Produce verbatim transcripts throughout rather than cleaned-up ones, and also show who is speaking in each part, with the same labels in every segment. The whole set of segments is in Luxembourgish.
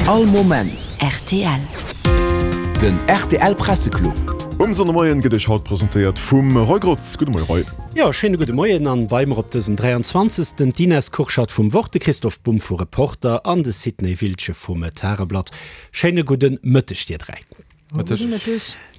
Speaker 1: All Moment
Speaker 2: rtl.
Speaker 1: Den rtl Presseclub.
Speaker 3: Um Sonndemoien gëtt iech haut presentéiert vum Roy Grotz. Gudde Moie Roy.
Speaker 4: Jo, schéine gudde Moien an bei mer op dësem dräianzwanzegsten d'Ines Kurschat vum Wort, de Christoph Bumb vu Reporter an de Sidney Wiltgen vum Tageblatt. Schéine gudde Mëtteg dir dräi.
Speaker 5: Mëtteg.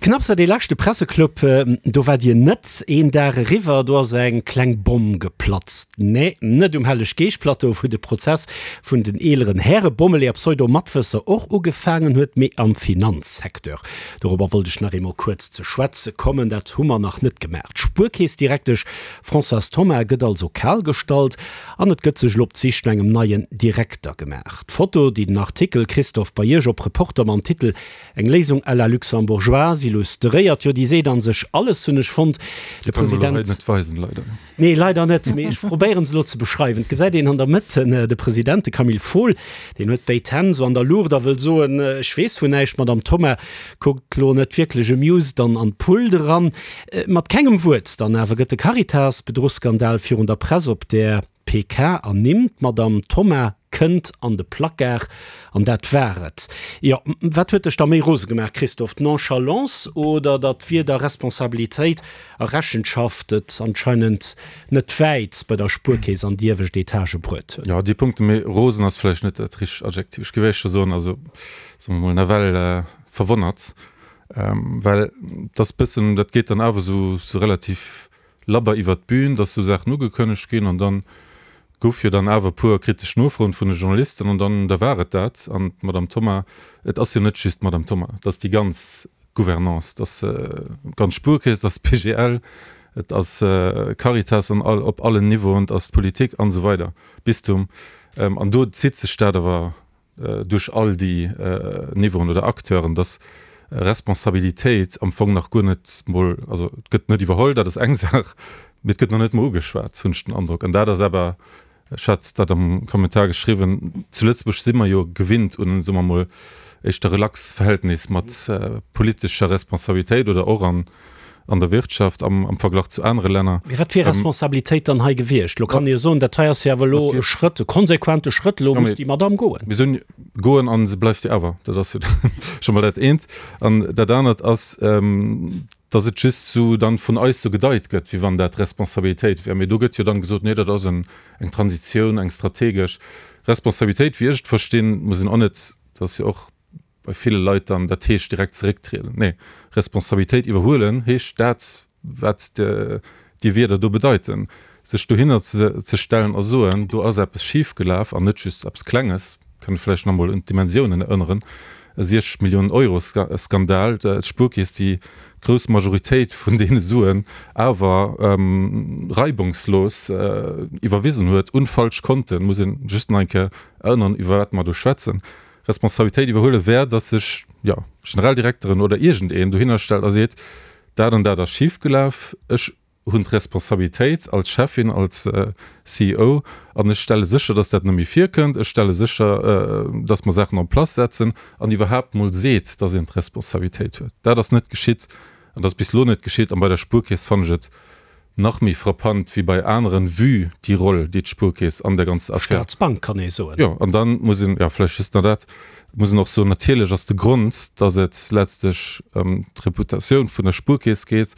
Speaker 4: Knapps war dee leschte Presseclub, do waart Dir net, een Dag eriwwer, do ass eng kleng Bomm geplatzt. Nee, net um Helleg-Geescht-Plateau, wou de Prozess vun den eeleren Häre Bommeleeër a Pseudo-Matwësser och ugefaangen huet, mee am Finanzsecteur. Dorobber wollt ech nach eemol kuerz ze schwätze kommen, dat hu mer nach net gemaach. D'Spuerkeessdirektesch Françoise Thoma gëtt also kal gestallt an et gëtt sech elo op d'Sich no engem neien Direkter gemaach. D'Foto, déi den Artikel, Christophe, bei Iech op Reporter mam Titel Eng Léisung à la luxembourgeoise illustréiert, jo, déi seet an sech alles, hunn ech fonnt. De President.
Speaker 5: Net weisen, leider.
Speaker 4: Nee, leider net, mee ech probéieren se elo ze beschreiwen. Et gesäit een an der Mëtt de President, de Camille Fohl, deen huet béid Hänn esou an der Luucht a wëll soen, ech weess vun näischt. D'Madame Thoma kuckt elo net wierklech amused an an d'Pult eran. Mat kengem Wuert dann awer gëtt de Caritas-Bedruchsskandal virun der Press op där P K ernimmt. D'Madame Thoma kënnt an de Placard an dat war et. Jo, wat huet dech da méi rose gemaach, Christophe, d'Nonchalance oder datt weder Responsabilitéit a Rechenschaft et anscheinend net wäit bei der Spuerkeess an déi iewescht Etage bruet huet?
Speaker 5: Jo, déi Punkte, méi rosen ass vläicht net dat richtegt Adjektiv. Ech géif éischter soen, also soe mer mol nawell verwonnert, well et ass bëssen, dat geet dann awer esou relativ labber iwwert d'Bühn, dass esou Saachen ugekënnegt ginn an dann gouf jo dann awer e puer kritesch Nofroen vun de Journalisten an dann, da war et dat. An d'Madame Thoma, et ass jo net just d'Madame Thoma, et ass déi ganz Gouvernance, et ass d'ganz Spuerkeess, et ass d'P G L, et ass Caritas an all, op allen Niveauen, et ass d'Politik an esou weider, Bistum. An do zitt sech dat awer duerch all déi Niveauen oder Acteuren, dass Responsabilitéit am Fong nach guer net mol, also et gëtt net iwwerholl, dat ass eng Saach, mee et gëtt nach net mol ugeschwat, hunn ech den Androck. An dat ass awer, ech hat dat am Kommentar geschriwwen, zu Lëtzebuerg si mer jo gewinnt un, soe mer mol, éischter relax Verhältnis mat politescher Responsabilitéit oder och an an der Wirtschaft am am Verglach zu anere Länner.
Speaker 4: Mee wat wier Responsabilitéit dann hei gewiescht? Lo kann ee jo soen, dat hei ass jo awer elo e Schrëtt, e konsequente Schrëtt, elo muss déi Madamm goen.
Speaker 5: Mir soen goen a se bleift jo awer. Dat ass jo scho mol dat eent. An dat anert ass, datt et just sou dann vun eis sou gedeit gëtt, wéi wann dat Responsabilitéit wär. Mee do gëtt jo dann gesot, nee, dat ass en eng Transitioun, eng strategesch Responsabilitéit. Wéi ech et verstinn, muss een och net, dat ass jo och bei ville Leit dann, dat heescht direkt zerécktrieden. Nee, Responsabilitéit iwwerhuelen heescht dat, wat déi Wierder do bedeiten, sech dohinner ze stellen a soen, do ass eppes schif gelaf an net just eppes Klenges, kënne vläicht nach emol un d'Dimensiounen erënneren, e siechzeg Milliounen Euro Skandal, d'Spuerkeess, déi grouss Majoritéit vun deene Suen awer reibungslos iwwerwisen huet un falsch Konten, muss een just nach eng Kéier erënneren, iwwer wat mer do schwätzen. Responsabilitéit iwwerhuele wär, dass sech, jo, Generaldirekteren oder iergendeen dohinner stellt a seet, dat an dat ass schifgelaf, ech hunn d'Responsabilitéit als Cheffin, als C E O an ech stelle sécher, dass dat net méi virkënnt, ech stelle sécher, dass mer Saachen en place setzen an iwwerhaapt mol seet, dass een d'Responsabilitéit huet. Dat ass net geschitt an dat ass bis elo net geschitt. An bei der Spuerkeess fannen ech et nach méi frappant wéi bei aneren, vue déi Roll, déi d'Spuerkeess an der ganzer Affär.
Speaker 4: Staatsbank, kann ee soen.
Speaker 5: Jo, an dann muss een, jo, vläicht just nach dat, muss een och soen, natierlech ass de Grond, dass et letztlech ëm d'Reputatioun vun der Spuerkeess geet,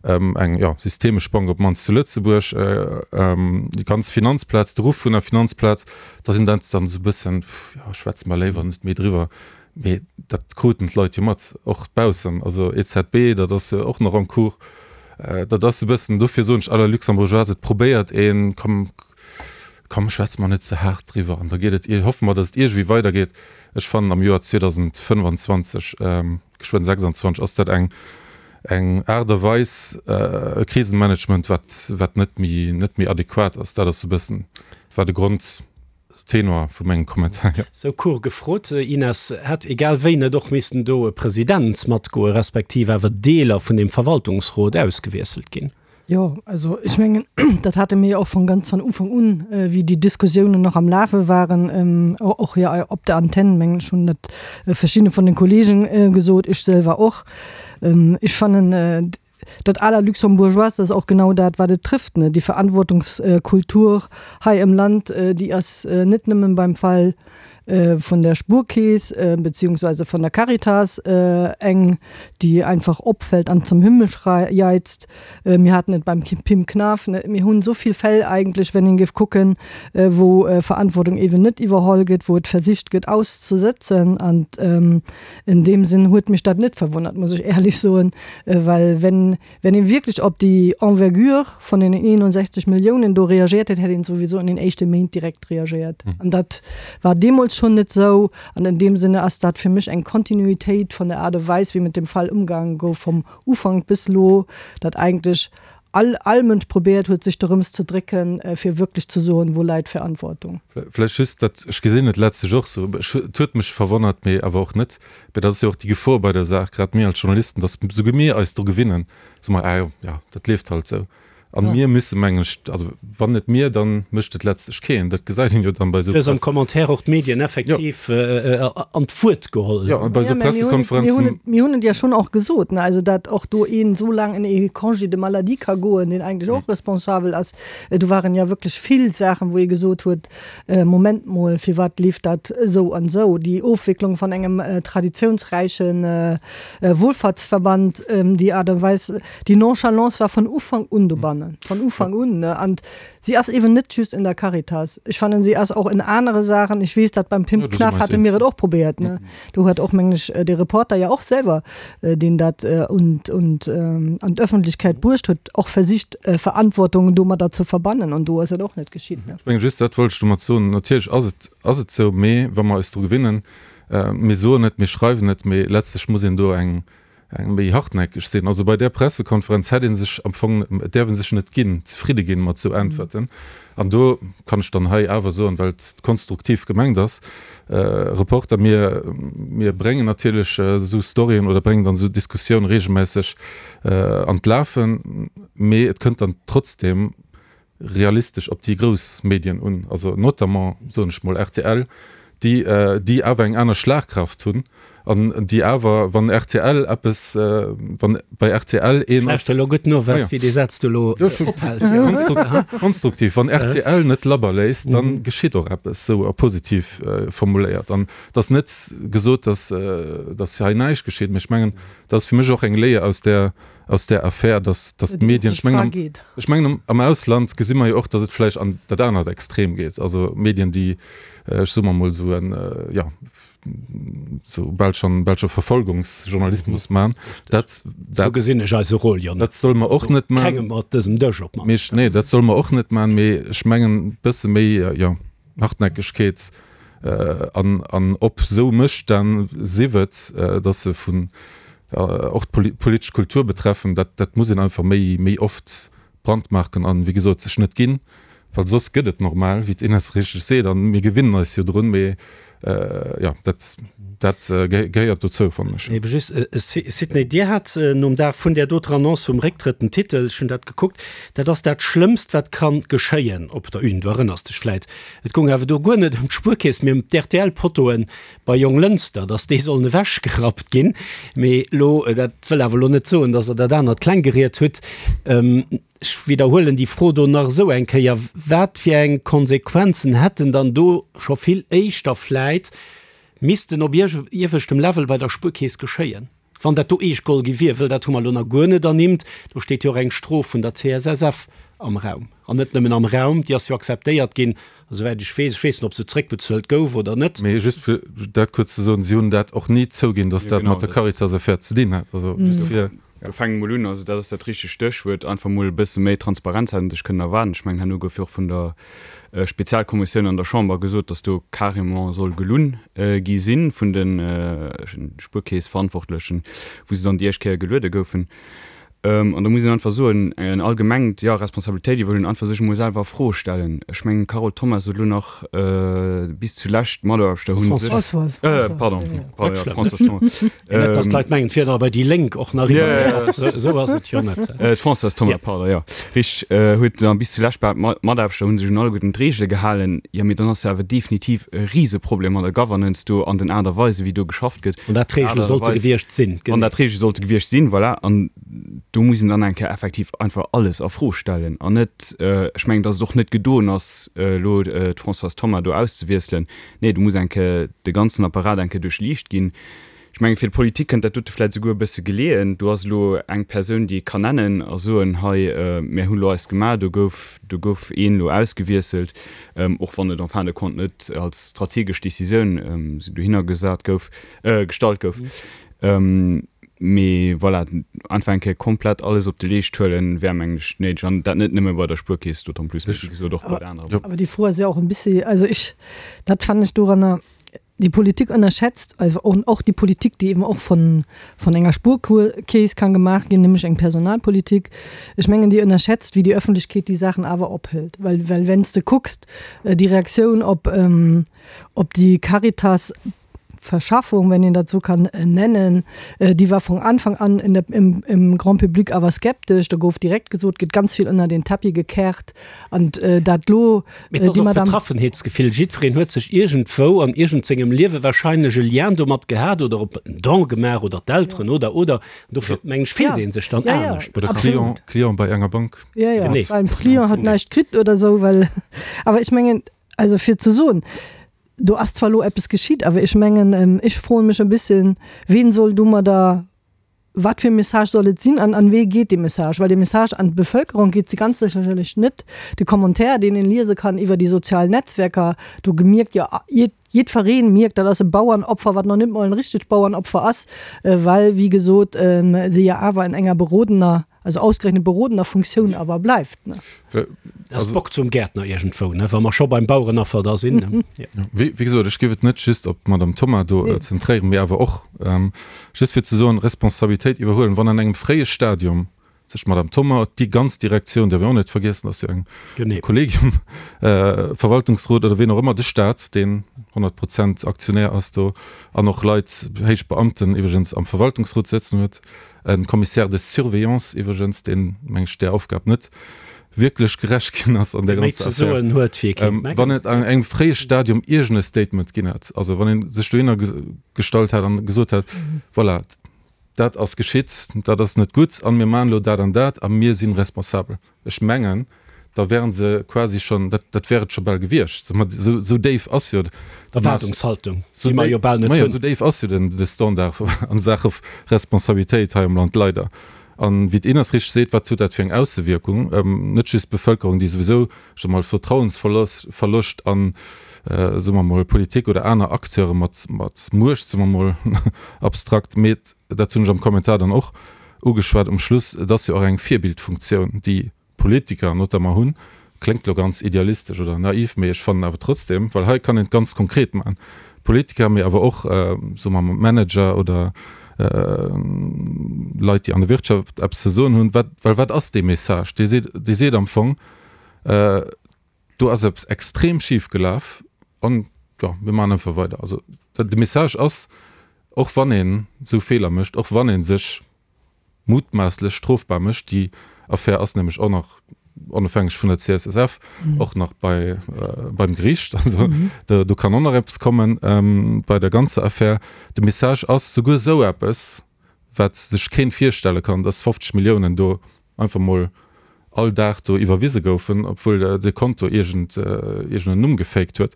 Speaker 5: eng, jo, systemesch Bank op d'mannst zu Lëtzebuerg, déi ganz Finanzplaz, de Ruff vun der Finanzplaz, dass een dat dann esou e bëssen, jo, schwätze mer léiwer net méi driwwer. Mee dat kruten d'Leit jo mat, och baussen, also E Z B, dat ass jo och nach en cours. Dat ass e bëssen, dofir soen ech à la luxembourgeoise, et probéiert een, komm, komm, schwätze mer net ze haart driwwer an da geet et, hoffe mer, datt et iergendwéi weidergeet. Ech fannen am Joer zweedausendfënnfanzwanzeg, geschwënn sechsanzwanzeg, ass dat eng eng Aart a Weis e Krisenmanagement, wat wat net méi net méi adequat ass. Dat ass e bëssen war de Grondtenor vu mengem Kommentar, jo.
Speaker 4: Sou court gefrot, Ines, hätt egal wéi net och missten do e President matgoen, respektiv awer Deeler vun deem Verwaltungsrot ausgewiesselt ginn?
Speaker 6: Jo, also ech mengen, dat hate mir jo och von ganz von Ufank un, wéi déi Diskussiounen nach am Lafe waren, och hier op der Antenn, mengen ech, hunn dat verschidde vun den Kollegen gesot, ech selwer och. Ech fannen, dat à la luxembourgeoise, dat ass och genau dat, wat et trifft, ne, déi Verantwortungskultur hei im Land, déi ass net nëmmen beim Fall vun der Spuerkeess beziehungsweise vun der Caritas eng, déi einfach opfält an zum Himmel jeizt. Mir haten et beim Pim Knaff, mir hunn esou vill Fäll eigentlech, wenn een géif kucken, wou Verantwortung eeben net iwwerholl gëtt, wou et versicht gëtt auszesëtzen. An in deem Sinn huet mech dat net verwonnert, muss ech éierlech soen, well wenn, wenn een wierklech op déi Envergure vun den eenundsechzeg Milliounen do reagiert hätt, hätt een souwisou an den éischte Méint direkt reagiert. An dat war deemools schonn net esou. An in deem Sinne ass dat fir mech eng Kontinuitéit vun der Aart a Weis, wéi mat dem Fall ëmgaange gouf vom Ufank bis elo, datt eigentlech all, all Mënsch probéiert huet, sech dorëms ze drécken, fir wierklech ze soen, wou läit d'Verantwortung.
Speaker 5: Vläicht just dat, ech gesinn et letztlech och esou, et huet mech verwonnert, mee awer och net, mee dat ass jo och déi Gefor bei der Saach, grad mir als Journalisten, datt esouguer mir eis dru gewinnen, soe mer, ah jo, jo, dat leeft halt esou. An mir müsse, mengen ech, also wann net mir, dann mécht et letztlech keen. Dat gesäit een jo dann bei esou.
Speaker 4: Du hues am Commentaire och d'Medien effektiv an d'Wuert geholl.
Speaker 5: Jo, bei esou Pressekonferenzen.
Speaker 6: Mir hunn et jo schonn och gesot, ne, also dat och do een esou laang en e Congé de maladie ka goen, deen eigentlech och responsabel ass. Do waren jo wierklech vill Saachen, wou ee gesot huet, Moment mol, firwat leeft dat esou an esou? Déi Ofwécklung vun engem traditionsräiche Wohlfahrtsverband, déi Aart a Weis, déi Nonchalance war vun Ufank un dobannen, von Ufank un, ne? An si ass eben net just in der Caritas. Ech fannen, si ass och in anere Saachen. Ech weess, dat beim Pim Knaff hate mir et och probéiert, ne? Do huet och, mengen ech, de Reporter ja och selwer, deen dat und, und an d'Öffentlichkeit bruecht huet, och versicht, Verantwortung domadder ze verbannen. An do ass et och net geschitt, ne?
Speaker 5: Ech mengen just, dat wollt ech domat soen, natierlech ass et, ass et esou, mee wa mer eis dru gewinnen, mir soen et, mir schreiwen et, mee letztlech muss een do eng, eng méi hartnäckeg sinn. Also bei där Pressekonferenz hätt ee sech am Fong, et däerf ee sech net ginn, zefridde ginn mat esou Äntwerten. An do kann ech dann hei awer soen, well et konstruktiv gemengt ass, Reporter, mir, mir bréngen natierlech esou Storyen oder bréngen dann esou Diskussioun regelmässeg an d'Lafen, mee et kënnt dann trotzdem realistesch op déi grouss Medien un, also notamment, soen ech mol, rtl, déi, déi awer eng aner Schlagkraft hunn an déi awer, wann rtl eppes, wann bei rtl een ass.
Speaker 4: Lauschter elo gutt no, wat, wéi dee Saz do elo ophält.
Speaker 5: Konstruktiv, wann rtl net labber léisst, da geschitt och eppes, esou a positiv formuléiert. An et ass net gesot, datt, datt hei näischt geschitt, mä ech mengen, dat ass fir mech och eng Léier aus där, aus där Affär, dass, dass d'Medien, ech mengen, ech mengen am Ausland gesi mer jo och, dass et vläicht an dat anert Extrem geet, also Medien, déi, ech soe mer emol esou en, jo, esou bal schonn, bal scho Verfolgungsjournalismus maachen. Dat,
Speaker 4: dat, Esou gesinn ech eise Rôle jo net.
Speaker 5: Dat solle mer och net maachen.
Speaker 4: Kengem op dësem Dësch op
Speaker 5: d'mannst. Nee, dat solle mer och net maachen, mee ech mengen, e bësse méi, jo, Hartnäckegkeet an, an op esou Mësstänn, sief et, dass se vun, och d'politesch Kultur betreffen, dat, dat muss een einfach méi, méi oft brandmarken an, wéi gesot, sech net ginn, well soss gëtt et normal, wéi d'Ines richteg seet, an mir gewinnen eis jo drun, mee jo, dat, dat gehéiert dozou, fannen ech.
Speaker 4: Ebe just, Sidney, Dir hat nom Dag vun där doter Annonce vum Récktrëtt den Titel, ech hunn dat gekuckt, dat ass dat Schlëmmst, wat ka geschéien op der Une, du erënners dech vläit, et goung awer do guer net ëm d'Spuerkeess, mee ëm d'RTL-Pottoen bei Jonglënster, dass déi sollen ewechgerappt ginn. Mee elo, dat wëll awer elo net soen, dass Der dat anert kleng geriet hutt. Ech widderhuelen déi Fro do nach esou eng Kéier, Wat fir eng Konsequenzen hätten dann do scho vill éischter vläit missten op ieweschtem Level bei der Spuerkeess geschéien, wann dat do eescht geholl gi wier? Wëll dat hu mer elo nach guer net ernimmt. Do steet jo och eng Strof vun der C S S F am Raum. An net nëmmen am Raum, déi ass jo akzeptéiert ginn, esouwäit ech weess. Ech weess net, ob se zréckbezuelt gouf oder net.
Speaker 5: Mee just fir dat kuerz ze soen, Si hunn dat och ni zouginn, datt dat mat der Caritas-Affär ze dinn hat. Also just fir.
Speaker 2: Do fänke mol un, also dat ass dat richtegt Stéchwuert, einfach mol e bësse méi Transparenz hätt een sech kënnen erwaarden. Ech mengen, herno gouf jo och vun der Spezialkommissioun an der Chamber gesot, datt do carrément soll gelunn gi si vun de Spuerkeessverantwortlechen, wou se dann déi éischt Kéier geluede goufen. An da muss een einfach soen, en allgemengt, jo, Responsabilitéit iwwerhuelen, einfach sech emol selwer a Fro stellen. Ech mengen, d'Carole Thommes sot elo nach, bis zulescht d'Mataarbechter hu sech.
Speaker 6: Françoise.
Speaker 2: Pardon, pardon, jo, Françoise Thommes.
Speaker 4: Net, datt d'Leit mengen, et wier da bei déi Lénk och nach eriwwergeschwappt. Esou ass et jo net.
Speaker 2: D'Françoise Thommes, pardon, jo, richteg, huet da bis zulescht behaapt, d'Mataarbechter hu sech un alleguerten d'Reegele gehalen. Jo, mee dann ass jo awer definitiv e Riseproblem an der Governance do, an den Aart a Weisen, wéi do geschafft gëtt.
Speaker 4: Wann dat d'Reegele sollte gewiescht sinn.
Speaker 2: Wann dat d'Reegele sollte gewiescht sinn, voilà. An Do muss een dann eng Kéier effektiv einfach alles a Fro stellen an net, ech mengen, datt et och net gedoen ass, elo d'Françoise Thoma do auszewiesselen. Nee, do muss eng Kéier de ganzen Apparat eng Kéier duerchliicht ginn. Ech mengen, fir d'Politik kënnt dat dote vläicht esouguer e bësse geleeën. Do ass elo eng Persoun, déi ee kann nennen a soen, hei, mir hunn elo eist gemaach, do gouf, do gouf een elo ausgewiesselt, och wann et en fin de compte net als strategesch Décisioun dohinner gesat gouf, gestallt gouf. Mee voilà, einfach eng Kéier komplett alles op de Leescht huelen, wär, mengen ech, néideg. An dat net nëmme bei der Spuerkeess, d'autant plus, mee wéi gesot och bei der anerer
Speaker 6: Bank. Awer déi Fro ass jo och e bëssi, also ech, dat fannen ech doranner, die Politik unterschätzt, also auch die Politik, die eben auch von, von enger Spuerkeess kann gemacht ginn, nämlich eng Personalpolitik, ech mengen, déi ënnerschätzt, wéi die Öffentlichkeet déi Saachen awer ophëlt. Well, well wenn s de kucks, déi Reaktioun op, op déi Caritas, Verschaffung, wenn een dat esou kann nennen, déi war vun Anfang an in der, im, im Grand public awer skeptesch. Do gouf direkt gesot, gëtt ganz vill ënner den Tapis gekehrt an dat lo
Speaker 4: Mee et ass och Betraffenheetsgefill. Jiddwereen huet sech iergendwou an iergend sengem Liewe wahrscheinlech e Lien domat gehat oder op en Don gemaach oder d'Elteren oder, oder. Dofir, mengen ech, fillt ee sech dann anescht.
Speaker 5: Oder Client, Client bei enger Bank.
Speaker 6: Jo, jo, well en Client hat näischt kritt oder esou, well, awer ech mengen, also fir ze soen, Do ass zwar elo eppes geschitt, awer ech mengen, ech froe mech e bësschen, ween soll domadder, wat fir e Message soll et sinn an an wee geet dee Message? Well dee Message an d'Bevölkerung geet se ganz sécherlech net. De Commentaire, deen een liese kann iwwer déi sozial Netzwerker, do gemierkt jo jiddfereen mierkt, dat ass e Bauernopfer, wat nach net mol en richtegt Bauernopfer ass, well wéi gesot se jo awer an enger berodener, also ausgerechnet berodener Funktioun awer bleift.
Speaker 4: Dat ass Bock zum Gäertner iergendwou, ne, wa mer scho beim Bauerenaffer da sinn.
Speaker 5: Wéi gesot, ech géif et net just op d'Madame Thoma do zentréieren, mee awer och just fir ze soen, Responsabilitéit iwwerhuelen, wann an engem fréie Stadium sech d'Madame Thoma, déi ganz Direktioun, däerf een och net vergiessen, ass jo eng Kollegium, Verwaltungsrot oder ween och ëmmer, de Stat, deen honnert Prozent Aktionär ass do an och Leit, héich Beamten iwwregens am Verwaltungsrot sëtzen huet, e Commissaire de surveillance iwwregens, deen, meng ech, där Aufgab net wierklech gerecht ginn ass an där ganzer Affär. Wann et an engem fréie Stadium iergend e Statement ginn hätt, also wann ee sech dohinner gestallt hätt an gesot hätt, voilà, dat ass geschitt, dat ass net gutt an mir maachen elo dat an dat a mir si responsabel, ech mengen, da wären se quasi schonn, dat, dat wär et scho bal gewiescht. Esou déif ass jo
Speaker 4: d'Erwaardungshaltung, déi mer jo bal net
Speaker 5: hunn. Esou déif ass jo den, de Standard a Saache Responsabilitéit hei am Land, leider. An wéi d'Ines richteg seet, wat huet dat fir eng Aussewierkung? Net just d'Bevëlkerung, déi souwisou scho mol Vertrauensverloscht an, soe mer mol, Politik oder aner Acteure mat, mat Muecht, soe mer mol abstrakt, mee dat hunn ech am Kommentar dann och ugeschwat um Schluss, et ass jo och eng Virbildfunktioun, déi Politiker notamment hunn, kléngt elo ganz idealistesch oder naiv, mee ech fannen awer trotzdem, well hei kann een et ganz konkret maachen, Politiker, mee awer och, soe mer mol, Manager oder Leit, déi an der Wirtschaft eppes ze soen hunn, wat, well wat ass dee Message? Dee seet, dee seet am Fong, do ass eppes extrem schif gelaf an, jo, mir maachen einfach weider. Also de Message ass, och wann een esou Feeler mécht, och wann ee sech mutmaasslech strofbar mécht, déi Affär ass nämlech och nach, onofhängeg vun der C S S F, och nach bei, beim Gericht, also do, do kann och nach eppes kommen bei der ganzer Affär. De Message ass, souguer esou eppes, wat sech keen virstelle kann, dass fofzeg Milliounen do einfach mol all Dag do iwwerwise goufen, obwuel de Konto iergend, iergend en Numm gefaked huet,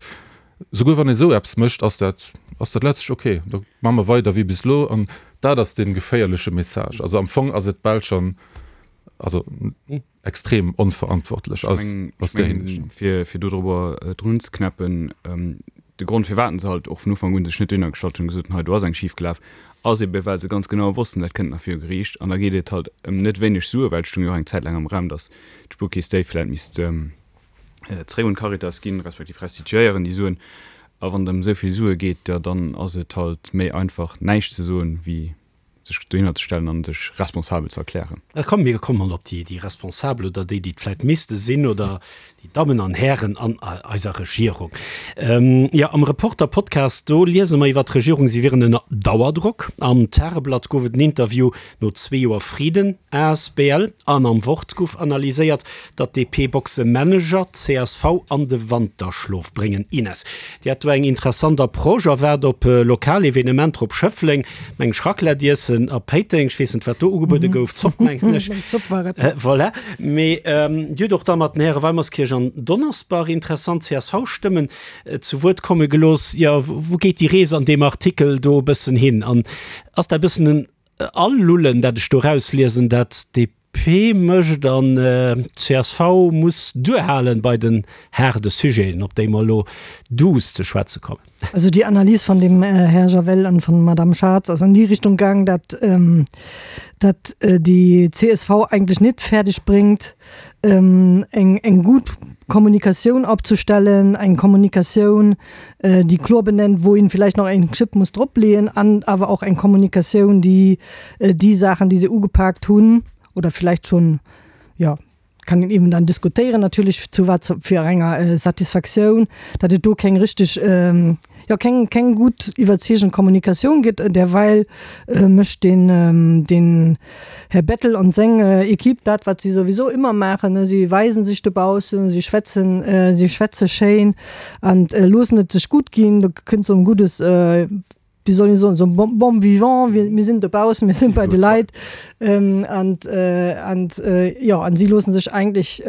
Speaker 5: Souguer wann ee sou eppes mécht, ass dat, ass dat letztlech ok, da maache mer weider wéi bis elo. An dat ass dee geféierleche Message. Also am Fong ass et bal schonn, also extrem onverantwortlech
Speaker 2: aus, aus där Hinsicht. Fir, fir dodrobber drun ze knäppen, de Grond firwat se halt och vun Ufank un sech net dohinner gestallt hunn, gesot hunn, hei do ass eng schif gelaf, ass ebe well se ganz genau wossten, dat kënnt nach viru Geriicht an da geet et halt ëm net wéineg Sue, well et stoung jo och eng Zäit laang am Raum, datt d'Spuerkeess déi vläicht misst zeréck un d'Caritas ginn, respektiv restituéieren déi Suen. A wann et ëm esou vill Sue geet, jo dann ass et halt méi einfach näischt ze soen, wéi sech dohinner ze stellen an sech responsabel ze erklären.
Speaker 4: Komm mir kommen op déi Responsabel oder déi, déi et vläicht misste sinn, oder déi Dammen an Hären an eiser Regierung. Jo, am Reporter-Podcast, do liese mer iwwer d'Regierung, si wieren ënner Dauerdrock. Am Tageblatt gouf et en Interview no zwee Joer Frieden asbl. An am Wort gouf analyséiert, datt d'D P-Boxemanager d'C S V an de Wanterschlof bréngen. Ines, Dir hat do eng interessant Approche a waart op lokal Evenementer op Schëffleng, mengt Raclette iessen. Suerten a Péiteng. Ech weess net, wat do ugebuede gouf, Zopp, mengen ech.
Speaker 6: Zopp war et.
Speaker 4: Voilà. Mee Dir hutt och da mat den Häre Weimerskirch an Donnersbach interessant C S V-Stëmmen zu Wuert komme gelooss. Jo, wou geet déi Rees an deem Artikel do e bëssen hin? An ass dat e bëssen en Alullen, dat ech do erausliesen, dat d'D P mécht an d'C S V muss duerhalen bei den haarde Sujeten, op déi mer elo duuss ze schwätze kommen?
Speaker 6: Also déi Analys vun dem Här Javel an vun Madame Schatz ass an déi Richtung gaang, dat dat déi C S V eigentlech net fäerdeg bréngt, eng eng gutt Kommunikatioun opzestellen, eng Kommunikatioun, déi kloer benennt, wou een vielleicht nach eng Schëpp muss dropleeën, an awer och eng Kommunikatioun, déi déi Saachen, déi se ugepaakt hunn oder vielleicht schon, ja, kann een eben dann diskutéieren natierlech, zu wat fir enger Satisfaktioun, datt et do keng richteg, jo, keng keng gutt iwwerzeegend Kommunikatioun gëtt. Derweil mécht den den Här Bettel an seng Equipe dat, wat si souwisou ëmmer maachen, si weisen sech dobaussen, si schwätzen, si schwätze schéin an loossen et sech gutt ginn. Do kënnt esou en guddes, wéi soll een soen, esou bon bon vivant, mir sinn dobaussen, mir sinn bei de Leit an an jo, an si loossen sech eigentlech,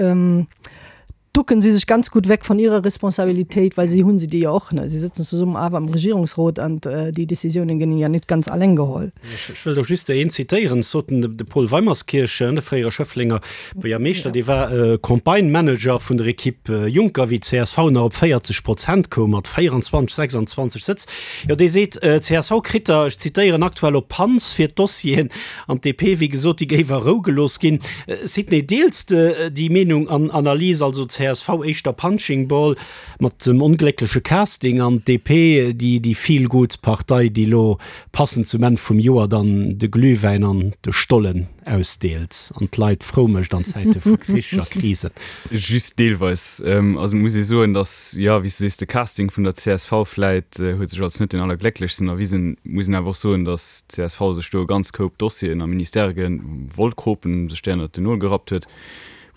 Speaker 6: ducken si sech ganz gutt weg von ihrer Responsabilitéit, well si hunn se déi jo och, ne, si sëtzen zesummen awer am Regierungsrot an déi Décisiounen ginn jo net ganz alleng geholl.
Speaker 4: Ech wëll do just een zitéieren, sot den de Paul Weimerskirch, de fréiere Schëfflenger Buergermeeschter, dee war Campagne-Manager vun der Equipe Juncker, wéi d'C S V nach op véierzeg Prozent koum mat véierenzwanzeg, sechsanzwanzeg Sëtz. Jo, dee seet, d'C S V kritt der, ech zitéieren, aktuell op Panz fir d'Dossieren an d'D P, wéi gesot, déi géif a Rou gelooss ginn. Sidney, deels de déi Meenung an Analys, also C S V éischter Punching Ball mat dem ongléckleche Casting an d'D P déi déi Feel-Good Partei, déi elo passend zum Enn vum Joer dann de Glühwäin an de Stollen ausdeelt an d'Leit frou mécht an Zäite vu Krich a Krisen?
Speaker 2: Just deelweis. Also muss ee soen, datt, jo, wéi s de sees, de Casting vun der C S V vläit huet sech als net deen allerglécklechsten erwisen. Muss een awer och soen, datt d'C S V sech do e ganz Koup Dossieren a Ministèrë wollt kropen, sech déi ënnert den Nol gerappt huet,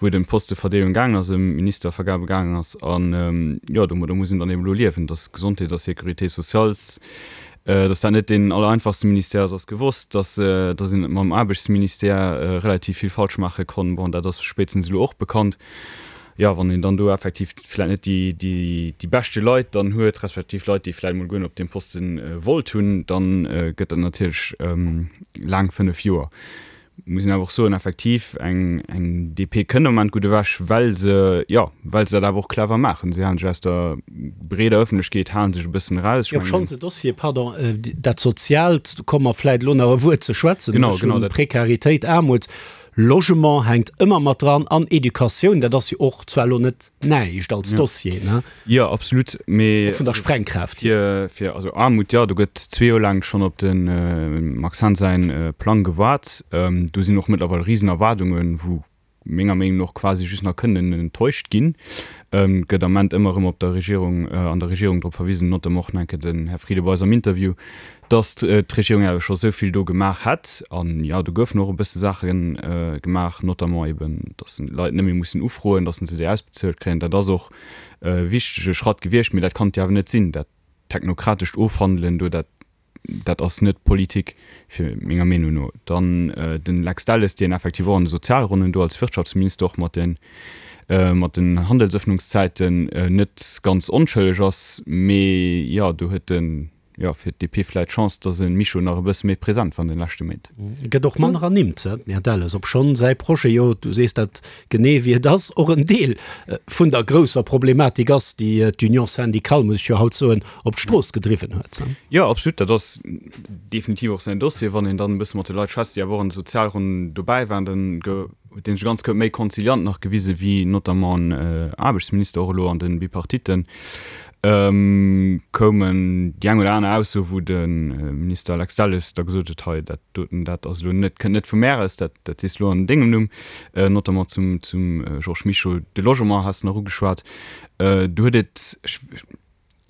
Speaker 2: wou et ëm d'Posteverdeelung gaangen ass, ëm Ministervergabe gaangen ass. An, jo, domadder muss een dann eben elo liewen, datt Gesondheet a Sécurité sociale, datt dat net deen allereinfachste Ministère ass, ass gewosst. Datt, datt een mam Aarbechtsministère relativ vill falsch maache konnt, bon, dat ass spéitstens elo och bekannt. Jo, wann een dann do effektiv vläicht net déi, déi, déi beschte Leit dann huet, respektiv Leit, déi vläicht emol guer net op deem Poste wollt hunn, dann gëtt dat natierlech laang fënnef Joer. Muss een awer och soen, effektiv, eng, eng D P kënnt am Moment gutt ewech, well se, jo, well se dat awer och clever maachen. Si halen sech aus der breeder Ëffentlechkeet, halen sech e bëssen eraus. Ech
Speaker 4: Jo,
Speaker 2: mengen.
Speaker 4: Schonns e Dossier, pardon, dat Soziaalt, do komme mer vläicht elo nach e Wuert ze schwätzen.
Speaker 2: Genau,
Speaker 4: Ech
Speaker 2: genau,
Speaker 4: hunn
Speaker 2: dat.
Speaker 4: Prekaritéit, Aarmut, Logement hänkt ëmmer mat dran an Educatioun, dat ass jo och zwar elo net näischt als Dossier, ne?
Speaker 2: Jo, absolut, mee.
Speaker 4: Och vun der Sprengkraaft hier.
Speaker 2: Fir, fir, also Aarmut, jo, do gëtt zwee Joer laang schonn op de Max Hahn säin Plang gewaart. Do sinn och mëttlerweil risen Erwaardungen, wou menger Meenung no och quasi just nach kënnen enttäuscht ginn. Gëtt am Ament ëmmer erëm op der Regierung, an der Regierung drop verwisen, notamment och nach eng Kéier den Här Frieden bei eis am Interview, dass d'Regierung awer scho sou vill do gemaach hätt. An jo, do goufen och e bësse Saache gemaach, notamment eben, dass d'Leit net méi mussen ufroen, dass se déi ausbezuelt kréien. Dat ass och e wichtege Schratt gewiescht, mee dat kann et jo awer net sinn, dat technokratescht Ofhandelen do, dat dat ass net Politik, fir menger Meenung no. Dann den Lex Delles, deen effektiv och an de Sozialronnen do als Wirtschaftsminister och mat den mat den Handelsëffnungszäiten net ganz onschëlleg ass, mee jo, do huet en jo fir d'D P vläit d'Chance, datt e Mischo nach e bësse méi present war an de leschte Méint.
Speaker 4: Gëtt och manner ernimmt, den Här Delles, obschonn säi Projet jo, du sees dat genee wéi et ass, och en Deel vun der grousser Problematik ass, déi d'Union syndicale, muss ech jo haut soen, op d'Strooss gedriwwen huet.
Speaker 2: Jo, absolut, dat ass definitiv och säin Dossier. Wann een dann e bësse mat de Leit schwätzt, déi awer och an de Sozialronnen dobäi waren, dann huet dee sech ganz méi konziliant nach gewisen, wéi notamment en Aarbechtsminister och elo an de Bipartitten. Koumen déi eng oder aner Ausso, wou de Minister Lex Delles da gesot huet, hei dat doten, dat ass elo net, kënnt net vu mär aus, dat dat sees elo an dengem Numm, notamment zum zum Georges Mischo. De Logement has de nach ugeschwat, do huet et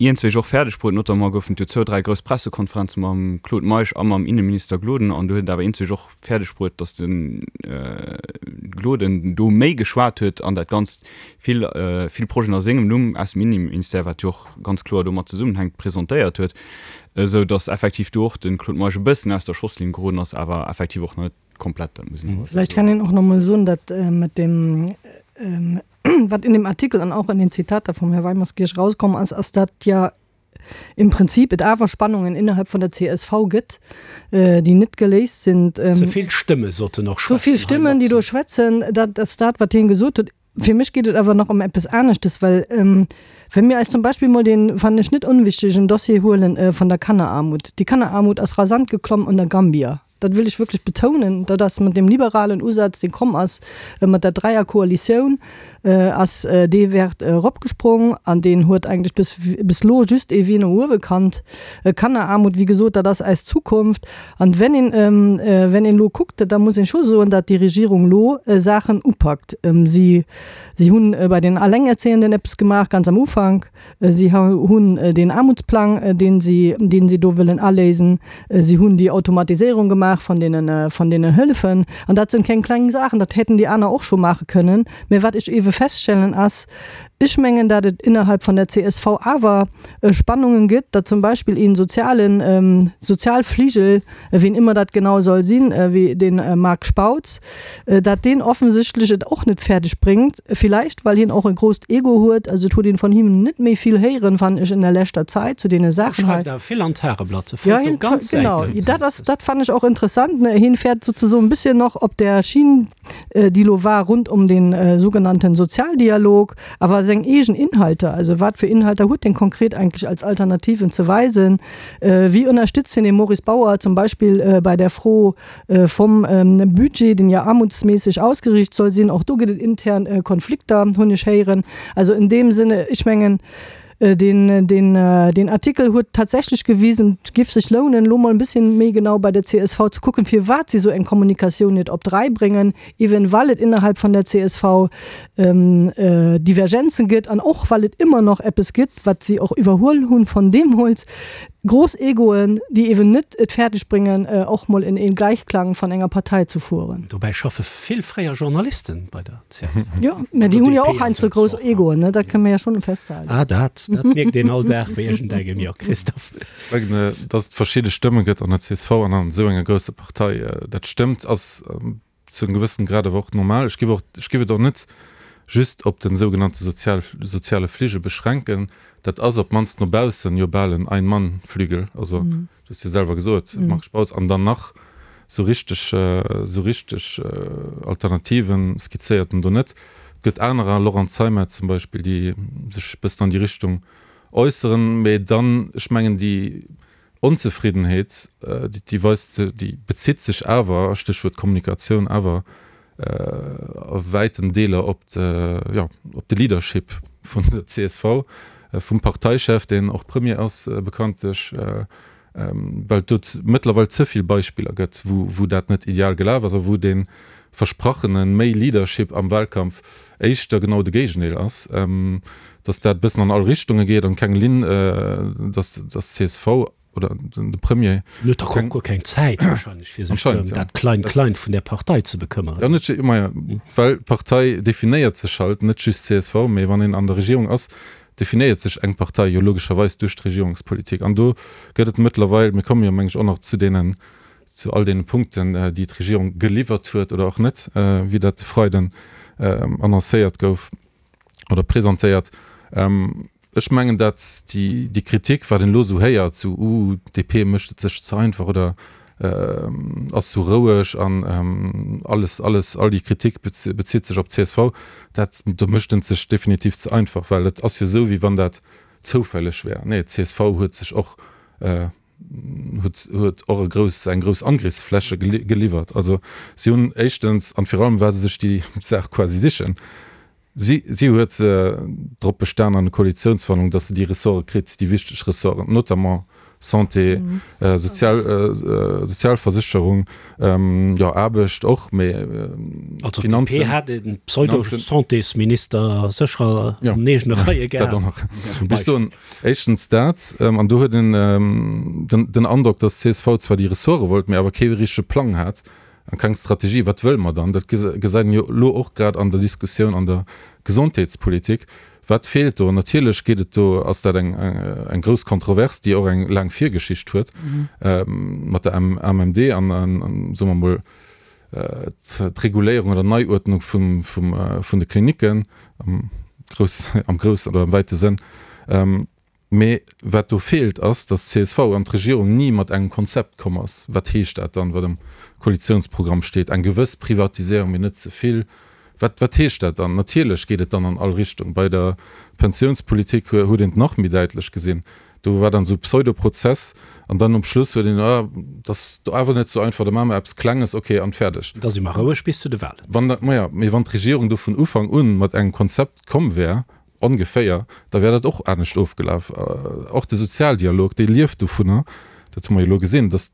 Speaker 2: iergendzwéi och fäerdeg bruet, notamment goufen et jo zwou, dräi grouss Pressekonferenze mam Claude Meisch a mam Inneminister Gloden, an do huet et awer iergendzwéi och fäerdeg bruet, datt de Gloden do méi geschwat huet an dat Ganzt vill, vill Projeten a sengem Numm aus dem Inneministère, wat jo och ganz kloer domat zesummenhänkt, presentéiert huet. esou datt effektiv do och de Claude Meisch e bëssen aus der Schosslinn geroden ass, awer effektiv och net komplett, dat muss een awer
Speaker 6: Vielleicht kann een och nach mol soen, datt mat deem, wat in dem Artikel an auch in den Zitater vom Herr Weimerskirch rauskomm ass, ass datt ja im Prinzip et awer Spannungen innerhalb von der C S V gëtt, déi net geléist sind.
Speaker 4: Ze vill Stëmme sollten och
Speaker 6: Zu vill
Speaker 4: schwätzen
Speaker 6: Stimmen, déi
Speaker 4: heimat.
Speaker 6: do schwätzen, dat ass dat, wat hien gesot huet. Fir mech geet et awer nach ëm eppes aneschtes, well wenn mir eis zum Beispill mol den, fannen ech net unwichtigen Dossier huelen von der Kannerarmut. Die Kannerarmut ass rasant geklomm unter Gambia. Dat will ich wirklich betounen, dat ass mat dem liberalen Usaz, deen komm ass, mat der Dreierkoalitioun, ass dee Wäert eropgesprong an deen huet eigentlech bis, bis elo just ee Wee no uewe kannt. Kannerarmut, wéi gesot, dat ass eis Zukunft. An wenn een, wenn een elo kuckt, da muss een scho soen, dat déi Regierung elo Saachen upackt. Si, si hunn bei den Allengerzehenden eppes gemaach, ganz am Ufank. Si hunn deen Aarmutsplang, deen si, deen si do wëllen aléisen. Si hunn déi Automatiséierung gemaach vun deenen, vun deenen Hëllefen. An dat sinn keng kleng Saachen, dat hätten déi aner och scho maache kënnen. Mä wat ech ewe feststellen ass, ech mengen, dat et innerhalb vun der C S V awer Spannungen gëtt, dat zum Beispill een sozialen, Sozialfligel, wien immer dat genau soll sinn, wéi den Marc Spautz, dat deen offensichtlech et och net fäerdeg bréngt, vielleicht well hien och e grousst Ego huet, also et huet een von him net méi vill héieren, fand ech in der leschter Zäit zu deene Saachen hei.
Speaker 4: Schreift awer vill an d'Tageblatt, e
Speaker 6: Ja,
Speaker 4: fëllt do
Speaker 6: hien
Speaker 4: ganz
Speaker 6: genau,
Speaker 4: Säiten.
Speaker 6: dat ass, dat fand ech och interessant, ne, hien fährt sozusagen e bisschen noch op der Schiene, déi lo war rund um den sogenannten Sozialdialog, awer seng eegen Inhalter, also wat fir Inhalter huet den konkret eigentlich als Alternativen ze weisen, wie ënnerstützt den den Maurice Bauer zum Beispill bei der Fro vom Budget, den ja armutsmäßig ausgerichtet soll sinn, och do gëtt et intern Konflikter, hunn ech héieren. Also in dem Sinne, ech mengen, den, den, den Artikel huet tatsächlich gewiesen, et giff sech lounen, lo mol en bisschen méi genau bei der C S V ze kucken, firwat si sou eng Kommunikatioun net op d'Rei bréngen, even well et innerhalb von der C S V Divergenzen gëtt an och well et ëmmer noch eppes gëtt, wat si och iwwerhuel hunn von deemools, grouss Egoen, déi even net et fäerdeg bréngen, och mol in een Gleichklang von enger Partei ze fueren.
Speaker 4: Dobäi schaffe vill fréier Journalisten bei der C S V.
Speaker 6: Jo, mä déi hunn jo och
Speaker 4: D P
Speaker 6: heiansdo grouss Egoen, ne? Dat kënne mir ja schonn festhalen.
Speaker 4: Ah, dat, dat mierkt een all Dag bei iergendengem, jo, Christophe.
Speaker 5: Ech mengen, dass et verschidde Stëmme gëtt an der C S V an an esou enger grousser Partei, dat stëmmt, ass zu engem gewëssenen Grad awer och normal. Ech géif och, ech géif et och net just op den sougenannte sozial, soziale Fligel beschränken. Dat ass op d'mannst no baussen jo bal en Ein-Mann-Flügel. Also,
Speaker 6: Mhm.
Speaker 5: du hues jo selwer gesot,
Speaker 6: Mhm.
Speaker 5: Marc Spautz, an dann nach sou richteg, sou richteg Alternativen skizzéiert en do net. Et gëtt anerer, Laurent Zeimet zum Beispill, déi sech e bëssen an déi Richtung äusseren, mee dann, ech mengen, déi Onzefriddenheet, déi, déi weist, déi bezitt sech awer, Stéchwuert Kommunikatioun, awer a wäiten Deeler op de, jo, op de Leadership vun der C S V, vum Parteichef, deen och Premier ass, bekanntlech, well et do mëttlerweil ze vill Beispiller gëtt, wou, wou dat net ideal gelaf ass a wou dee versprachene méi Leadership am Wahlkampf éischter genau de Géigendeel ass, dass dat e bëssen an all Richtunge geet an keng Linn, dass, dass d'C S V oder den, de Premier
Speaker 4: Huet dach och guer keng Zäit wahrscheinlech, fir sech
Speaker 5: Anscheinend,
Speaker 4: ëm
Speaker 5: ja.
Speaker 4: dat Klein-Klein vun der Partei ze bekëmmeren.
Speaker 5: Ja, net ju-, maja, well d'Partei definéiert sech halt, net just C S V, mee wann een an der Regierung ass, definéiert sech eng Partei jo logescherweis duerch d'Regierungspolitik. An do gëtt et mëttlerweil, mir komme jo, meng ech, och nach zu deenen, zu all deene Punkten, déi d'Regierung geliwwert huet oder och net, wéi dat de Freiden annoncéiert gouf oder presentéiert. Ech mengen, datt déi, déi Kritik, wat een elo esou héiert, sou, uh, D P mécht et sech ze einfach oder ass sou roueg an alles, alles, all déi Kritik bezitt sech op C S V, dat, do mécht en sech definitiv ze einfach, well et ass jo esou, wéi wann dat zoufälleg wär. Nee, C S V huet sech och, huet, huet och e grouss, eng grouss Angriffsfläche geliwwert. Also si hunn éischtens, an virun allem well se sech déi Saach quasi sichen, si, si huet drop bestan an der Koalitionsverhandlung, dass se déi Ressorte kritt, déi wichteg Ressorten, notamment Santé,
Speaker 6: Mhm.
Speaker 5: äh, Sozial, äh, Sozialversicherung, ähm, ja, Aarbecht och, mee, äh,
Speaker 4: Also
Speaker 5: Finanzen.
Speaker 4: D P hat den Pseudo-Santésminister sécher
Speaker 5: Ja.
Speaker 4: an eegene Reie
Speaker 5: Dat
Speaker 4: gehabt.
Speaker 5: och nach.
Speaker 4: Zum
Speaker 5: Bis
Speaker 4: Beispiel.
Speaker 5: soen, éischtens dat, ähm, an do huet den, ähm, den, den Androck, dass C S V zwar déi Ressorte wollt, mee awer kee richtege Plang hat. An keng Strategie. Wat wëlle mer dann? Dat gesäit een jo elo och grad an der Diskussioun an der Gesondheetspolitik. Wat feelt do? Natierlech geet et do, ass dat eng, eng grouss Kontrovers, déi och eng laang Virgeschicht huet mat der A M M D an, an, soe mer mol, d'Reguléierung oder Neiuerdnung vum, vum, vun de Klinicken am grouss, am groussen oder am wäite Sënn. Mee wat do feelt, ass, datt d'C S V an d'Regierung ni mat engem Konzept komm ass. Wat heescht dat dann, wat am Koalitiounsprogramm steet, eng gewëss Privatiséierung, mee net ze vill? Wat, wat heescht dat dann? Natierlech geet et dann an all Richtung. Bei der Pensiounspolitik huet een et nach méi däitlech gesinn. Do war dann esou Pseudoprozess an dann um Schluss huet een, ah, dat ass do awer net esou einfach, da maache mer eppes Klenges, okay, an fäerdeg.
Speaker 4: Da si mer roueg bis zu de Wahlen.
Speaker 5: Wann dat, maja, mee wann d'Regierung do vun Ufank un mat engem Konzept komm wär, ongeféier, da wär dat och anescht ofgelaf. Och de Sozialdialog, dee lieft dovunner, dat hu mer jo elo gesinn, datt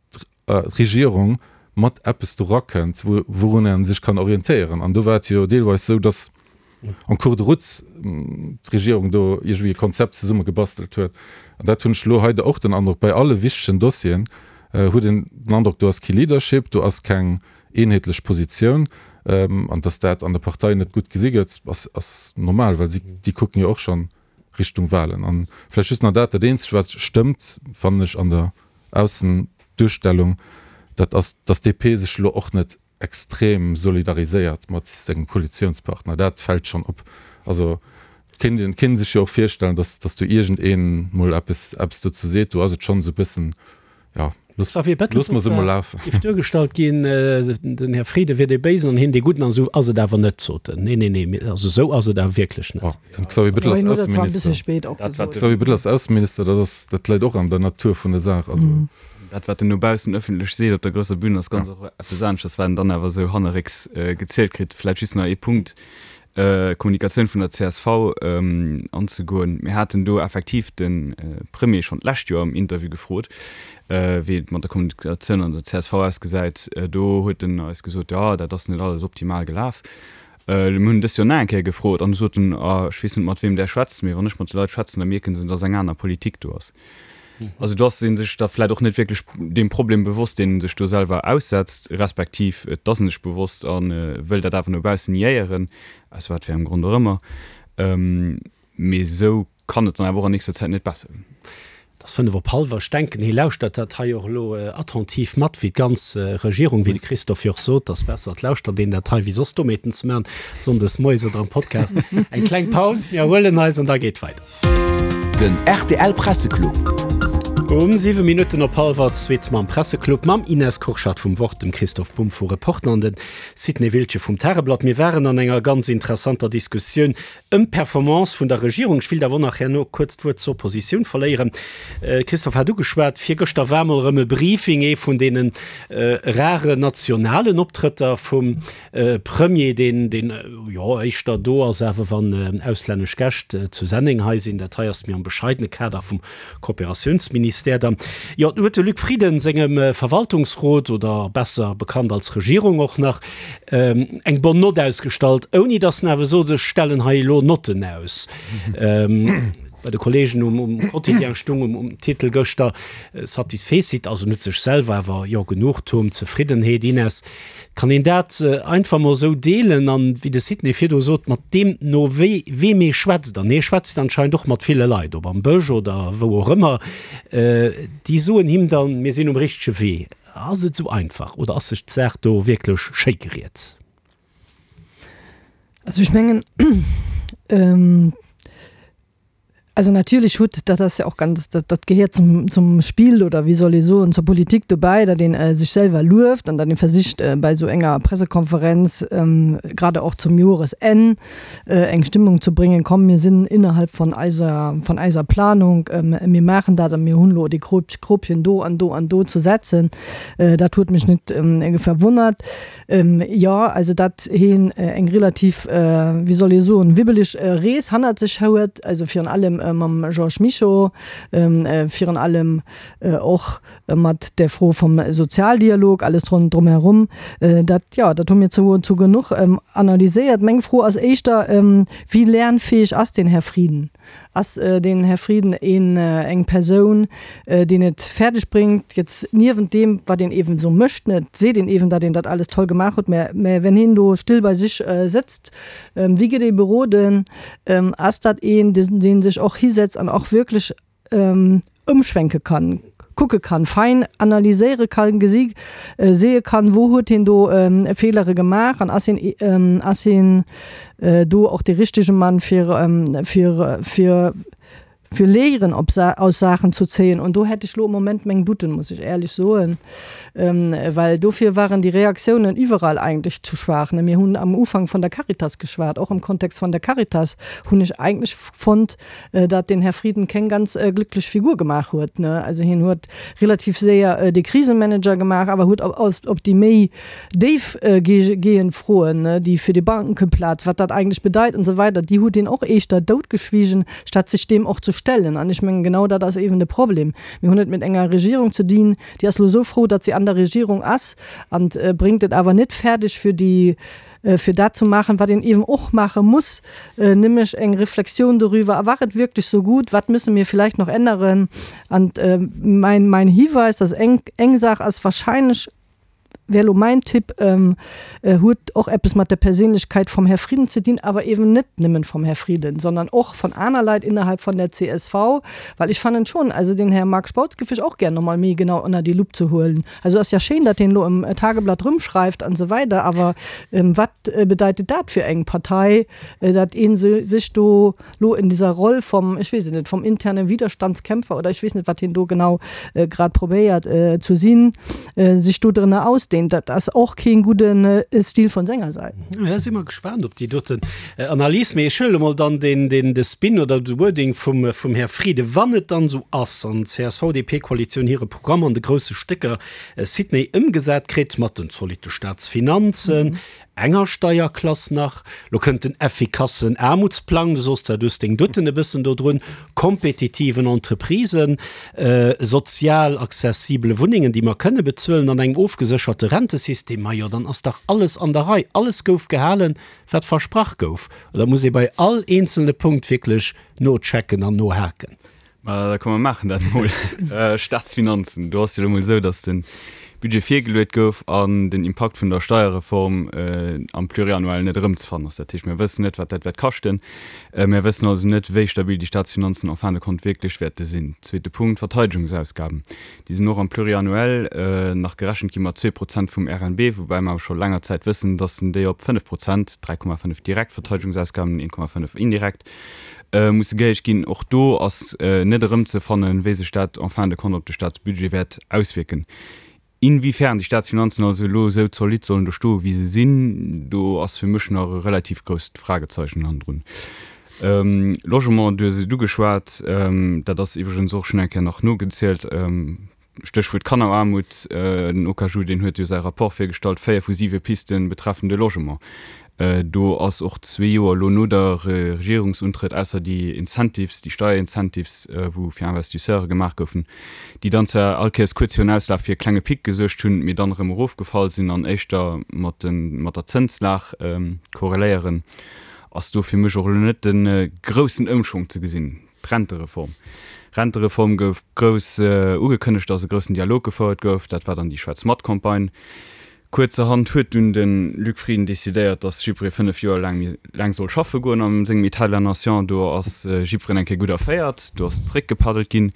Speaker 5: d'Regierung mat eppes do rakënnt, wourun ee sech kann orientéieren. An do war et jo deelweis esou, datt en cours de route d'Regierung do iergendwéi e Konzept zesumme gebastelt huet. An dat hunn ech elo hei och den Androck, bei alle wichtegen Dossieren huet een den Androck, do ass kee Leadership, do ass keng eenheetlech Positioun. An dass dat an der Partei net gutt gesi gëtt, ass, ass normal, well si, déi kucken jo och schonn Richtung Wahlen. An vläicht just nach dat, dat eenzegt wat stëmmt, fannen ech an der Aussenduerstellung, dat ass, dass D P sech elo och net extrem solidariséiert mat sengem Koalitiounspartner. Dat fält schonn op. Also et kéint een, kéint sech jo och virstellen, dass, dass do iergendeen mol eppes, eppes dozou seet. Do ass et schonn esou e bëssen, jo, looss,
Speaker 4: Xavier Bettel,
Speaker 5: looss mer se mol lafen.
Speaker 4: Géif duergestallt ginn, den Här Frieden wier dee Béisen an hien dee Gudden, an esou ass et awer net, sot en. Nee, nee, nee, also esou ass et awer wierklech net.
Speaker 5: Oh, den Xavier Bettel ass Ausseminister. Xavier Bettel ass Ausseminister, dat ass, dat läit och an der Natur vun der Saach. Also.
Speaker 2: Dat, wat en no baussen ëffentlech seet op der grousser Bühn, ass ganz och eppes aneschters, wat en dann awer esou hannerrécks gezielt kritt. Vläicht just nach ee Punkt, Kommunikatioun vun der C S V anzegoen. Mir haten do effektiv de Premier schonn d'lescht Joer am Interview gefrot, wéi et mat der Kommunikatioun an der C S V ausgesäit. Do huet en eis gesot, jo, dat ass net alles optimal gelaf. Mir hunn dëst Joer nach eng Kéier gefrot an du sot en, ah, ech weess net, mat weem Der schwätzt, mee wann ech mat de Leit schwätzen, da mierken se, dass eng aner Politik do ass. Also do ass ee sech da vläicht och net wierklech deem Problem bewosst, deen e sech do selwer aussetzt, respektiv et ass en sech bewosst a wëll dat awer no baussen niéieren, aus wat fir engem Grond och ëmmer. Mee esou kann et dann awer och an nächster Zäit net besser ginn.
Speaker 4: Et ass fënnef op hallwer. Ech denken, hie lauschtert dat hei och elo attentiv mat, wéi d'ganz Regierung, wéi de Christophe jo och sot, ass besser, et lauschtert een dat hei, wéi soss Dommheeten ze maachen, sonndes moies oder am Podcast. Eng kleng Paus, mir erhuelen eis an da geet weider.
Speaker 1: Den R T L Presseclub.
Speaker 4: Um siwe Minutten op hallwer zweet mam Presseclub mam Ines Kurschat vum Wort, dem Christoph Bumb vu Reporter an dem Sidney Wiltgen vum Tageblatt. Mir waren an enger ganz interessanter Diskussioun ëm d'Performance vun der Regierung. Ech wëll awer nach herno kuerz d'Wuert zur Oppositioun verléieren. Christophe hat ugeschwat, virgëschter war mol erëm e Briefing, ee vun deenen raren nationalen Optrëtter vum Premier, deen, deen jo éischter do ass, awer wann auslännesch Gäscht zu Senneng hei sinn. Dat hei ass méi am bescheidene Kader vum Kooperatiounsministère dann. Jo, do huet de Luc Frieden sengem Verwaltungsrot, oder besser bekannt als Regierung och nach, eng bonne note ausgestallt, ouni datt en awer sot, ech stellen hei elo Notten aus. Bei de Kollegen um, um Quotidien stung um, um Titel gëschter Satisfecit, also net sech selwer, awer jo Genugtuung, Zefriddenheet. Ines, kann een dat einfach mol esou deelen an wéi de Sidney virdu sot, mat deem no wéi weem ee schwätzt, an hie schwätzt anscheinend och mat ville Leit, ob am Bësch oder wou och ëmmer, déi soen him dann, mir sinn um richtege Wee. Ass et esou einfach oder ass sech d'Saach do wierklech schéi geriet?
Speaker 6: Also ech mengen, also natierlech huet dat ass jo och ganz dat dat gehéiert zum zum Spill oder wéi soll ee soen zur Politik dobäi, datt een sech selwer lueft an datt ee versicht bei esou enger Pressekonferenz grade och zum Joresenn eng Stimmung ze bréngen, komm mir sinn innerhalb von eiser von eiser Planung, mir maachen dat a mir hunn elo déi Grobchen do an do an do ze setzen. Dat huet mech net verwonnert. Jo, also datt hien eng relativ wéi soll ee soen wibbeleg Rees hannert sech huet, also virun allem mam Georges Mischo, virun allem och mat der Fro vum Sozialdialog, alles drumherum, dat jo, dat hu mir zu zu genuch analyséiert. Meng Fro ass éischter, wéi lernfäeg ass den Här Frieden? Ass den Här Frieden een, eng Persoun, deen et fäerdeg bréngt, jetzt niewent deem, wat een eeben esou mécht, ne, et seet een eeben, datt een dat alles toll gemaach huet, mä, mä wenn hien do still bei sech sëtzt, wéi gëtt ee beroden? Ass dat een, dee sech och hisetzt an och wierklech ëmschwenke kann, kucke kann, fein analyséiere kann, gesi seeë kann, wou huet hien do Feelere gemaach an ass hien, ass hien do och dee richtege Mann fir, fir, fir, fir Léieren op aus Saachen zu zéien. Und do hätt ech lo am Moment meng Douten, muss ech éierlech soen, well dofir waren déi Reaktiounen iwwerall eigentlech zu schwaach. Mir hunn am Ufank vun der Caritas geschwat, och am Kontext vun der Caritas hunn ech eigentlech fonnt, datt den Här Frieden keng ganz glücklech Figur gemaach huet. Also hien huet relativ séier de Krisemanager gemaach, awer huet op déi méi déif gehend Froen, déi fir déi Bankeplaz, wat dat eigentlech bedeit an esou weider, déi huet hien och éischter doutgeschwiegen, statt sech deem och ze stellen. An ech mengen, genau dat ass eeben de Problem. Mir hunn et mat enger Regierung ze dinn, déi ass elo esou frou, datt si an der Regierung ass, an bréngt et awer net fäerdeg, fir déi, fir dat ze maachen, wat een eeben och maache muss, nämlech eng Reflexioun doriwwer, War et wirklich so gut, wat müssen wir vielleicht noch ändern? An mein, mein Hiweis, dass eng, eng Saach ass wahrscheinlech, wär elo mäin Tipp, huet och eppes mat der Perséinlechkeit vum Här Frieden ze dinn, awer eeben net nëmmen vum Här Frieden, sondern och von aner Leit innerhalb von der C S V, well ech fannen schon, also den Här Marc Spautz géif ech och gär nochmol méi genau ënner déi Lupp ze huelen. Also ass ja schéin, datt deen elo am Tageblatt rëmschreift an esou weider, awer wat bedeitet dat fir eng Partei, datt ee sech do lo in dieser Roll vom, ech weess et net, vom internen Widerstandskämpfer oder ech weess net, wat hien do genau grad probéiert ze sinn, sech do drënner ausdehnt. Dat ass och keen gudden Stil von senger Säit.
Speaker 4: Ja, si mer gespaant op déi doten Analys. Mee ech huele mol dann den, den, de Spin oder de Wording vum, vum Här Frieden. Wann et dann esou ass an d'C S V-D P-Koalitioun hire Programm an de grousse Stécker Sidney ëmgesat kritt, mat den zolitte Staatsfinanzen, enger Steierklass nach, lo kënnt den effikassen Aarmutsplang, du soss dat, du hues deng Douten e bëssen do drun, kompetitiven Entreprisen, sozial accessibele Wunnengen, déi mer kënne bezuelen, an engem ofgesécherte Rentesystem, majo, dann ass dach alles an der Rei, alles gouf gehalen, wat versprach gouf. Oder muss ee bei all eenzelne Punkt wierklech nochecken an nohaken?
Speaker 2: Ma da komm mer maachen dat emol. Staatsfinanzen, do ass jo elo emol esou, datt de Budget virgeluet gouf an den Impakt vun der Steierreform am Pluriannuel net erëmzefannen ass. Dat heescht, mir wëssen net, wat dat wäert kaschten. Mir wëssen also net, wéi stabil déi Staatsfinanzen en fin de compte wierklech wäerte sinn. Zweete Punkt, d'Verteidegungsausgaben. Déi sinn och am Pluriannuel nach gerechent gi mat zwee Prozent vum R N B, woubäi mer awer scho länger Zäit wëssen, dass en déi op fënnef Prozent, dräi Komma fënnef direkt Verteidegungsausgaben, een Komma fënnef indirekt, musse gehéicht ginn. Och do ass net erëmzefannen, wéi sech dat en fin de compte op de Staatsbudget wäert auswierken. Inwiefern déi Staatsfinanzen also elo esou zolidd sollen do stoen, wéi se sinn, do ass fir mech nach e relativ grousst Fragezeichen hannendrun. Logement, du hues et ugeschwat, dat ass iwwregens och schonn eng Kéier nach nogezielt, Stéchwuert Kanneraarmut, den O K J U, deen huet jo säi Rapport virgestallt, véier vu siwe Piste betreffen de Logement. Do ass och zwee Joer elo no der Regierungsuntrëtt, ausser déi Incentives, déi Steierincentives, wou fir Investisseure gemaach goufen, déi dann zwar all Kéiers kuerz virun Auslaf fir e klenge Pic gesuergt hunn, mee dann erëm erofgefall sinn an éischter mat den, mat der Zënslag korreléieren, ass do fir mech och elo net de groussen Ëmschwong ze gesinn. D'Rentereform. Rentereform gouf grouss ugekënnegt, dass e groussen Dialog gefouert gouf. Dat war dann déi Schwätz-mat-Campagne. Kuerzerhand huet dunn de Luc Frieden decidéiert, datt jiddweree fënnef Joer laang méi laang soll schaffe goen a sengem État de la Nation. Do ass jiddwereen eng Kéier gutt erféiert, do ass zeréckgepaddelt ginn.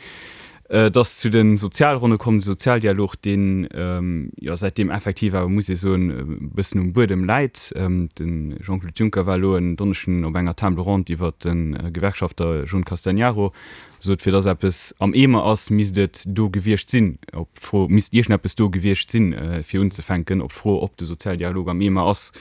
Speaker 2: Et ass zu de Sozialronne komm, de Sozialdialog, deen jo säitdeem effektiv awer, muss ee soen, e bëssen um Buedem läit. De Jean-Claude Juncker war elo en Donneschden op enger Table ronde iwwer de Gewerkschafter John Castegnaro, sot, fir datt eppes am Eemer ass, misst et do gewiescht sinn. Op d'Fro, misst iergendeppes do gewiescht sinn, fir unzefänken, op d'Fro, ob de Sozialdialog am Eemer ass.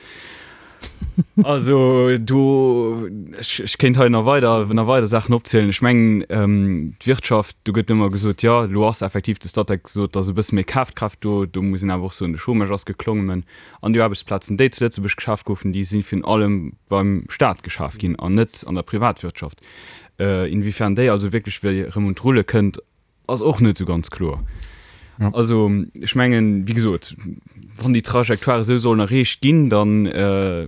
Speaker 2: Also do, ech, ech kéint hei nach weider, nach weider Saachen opzielen. Ech mengen, d'Wirtschaft, do gëtt ëmmer gesot, jo, elo ass effektiv de Statec gesot, dass e bësse méi Kafkraaft do, do muss een awer och soen, de Chômage ass geklommen an déi Aarbechtsplazen, déi zu Lëtzebuerg geschaf goufen, déi si virun allem beim Staat geschaf ginn an net an der Privatwirtschaft. Inwiefern déi also wierklech wéi erëm un d'Rulle kënnt, ass och net esou ganz kloer.
Speaker 5: Ja.
Speaker 2: Also ech mengen, wéi gesot, wann déi Trajectoire esou sollen erreecht ginn, dann, äh,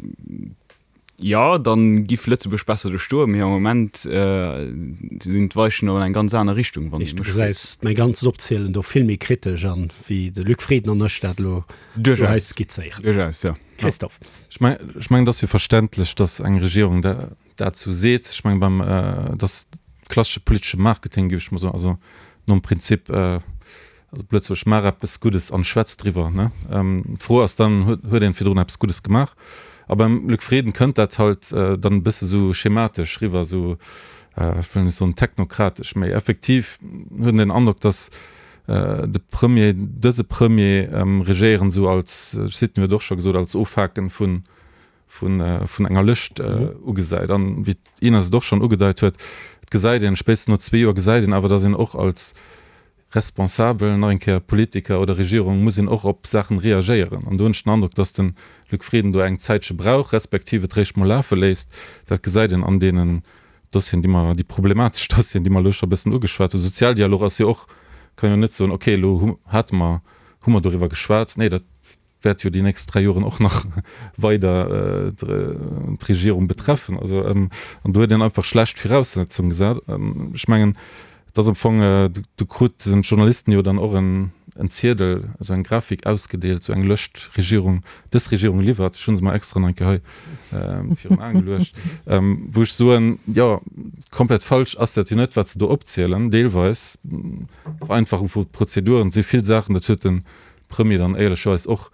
Speaker 2: Jo, dann giff Lëtzebuerg besser do stoen, mee am Moment sinn d'Weichen an eng ganz aner Richtung,
Speaker 4: wann Heescht, du gesäis mäi ganzt Opzielen do vill méi kritesch an, wéi de Luc Frieden an ech dat elo sou hei skizzéieren.
Speaker 2: Duerchaus, jo.
Speaker 4: Christophe.
Speaker 5: Ech mengen, et ass jo verständlech, datt eng Regierung dat sou seet. Ech mengen, beim, et ass klassesche politesche Marketing, géif ech mol soen, also nom Prinzip, also op Lëtzebuergesch, maach eppes Guddes an schwätz driwwer, ne? D'Fro ass dann, huet een virdrun eppes Guddes gemaach? A beim Luc Frieden kënnt dat halt dann e bësse sou schematesch riwwer, sou, ech wëll net soen technokratesch, mee effektiv huet een den Androck, datt de Premier, dëse Premier regéieren sou als, Sidney huet och scho gesot, als Ofhaken vun, vun, vun enger Lëscht ugesäit. An wéi d'Ines et och schonn ugedeit huet, et gesäit een, spéitstens no zwee Joer gesäit een awer, datt een och als Responsabel, nach eng Kéier Politiker oder Regierung, muss een och op Saachen reagéieren. An do hunn ech den Androck, dass de Luc Frieden do eng Zäitche brauch, respektiv et réischt mol lafe léisst. Dat gesäit een an deenen Dossieren, déi mer, déi problematesch Dossieren, déi mer elo scho e bëssen ugeschwat hunn. Sozialdialog ass jo och, kann jo net soen, okay, elo hu hate mer, hu mer doriwwer geschwat. Nee, dat wäert jo déi nächst dräi Joren och nach weider d'Regierung betreffen. Also, an do huet een einfach schlecht Viraussetzunge gesat. Ech mengen, et ass am Fong, do kruten d'Journalisten jo dann och en Ziedel, esou eng Grafik ausgedeelt, esou eng Lëscht, Regierung, dës Regierung liwwert, ech hu se mer extra nach eng Kéier hei virun Aen geluecht, wou ech soen, jo, komplett falsch ass dat jo net, wat se do opzielen, deelweis, Vereinfachung vu Prozeduren, et si vill Saachen, dat huet de Premier dann éierlecherweis och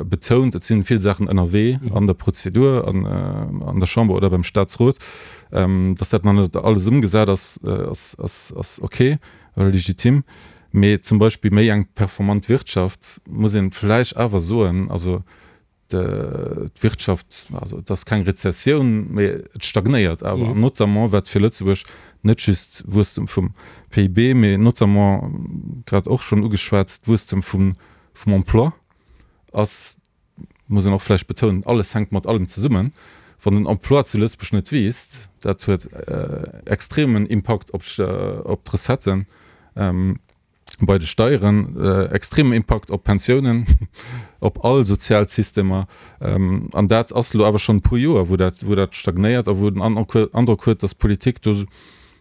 Speaker 5: betount, et si vill Saachen ënnerwee an der Prozedur, an der Chamber oder beim Staatsrot. Datt dat nach net alles ëmgesat ass, ass ok oder legitim. Mee zum Beispill méi eng performant Wirtschaft, muss ee vläicht awer soen, also d'Wirtschaft, also et ass keng Rezessioun, mee et stagnéiert awer, an notamment wat fir Lëtzebuerg net just Wuesstem vum P I B, mee notamment, grad och schonn ugeschwat, d'Wuesstem vum Emploi ass, muss een och vläicht betounen, alles hänkt mat allem zesummen, wann den Emploi zu Lëtzebuerg net wiisst, dat huet extremen Impakt op d'Recetten bei de Steieren, extremen Impakt op d'Pensiounen, op all sozial Systemer. An dat ass elo awer schonn e puer Joer, wou dat, wou dat stagnéiert a wou den Androck huet, datt d'Politik do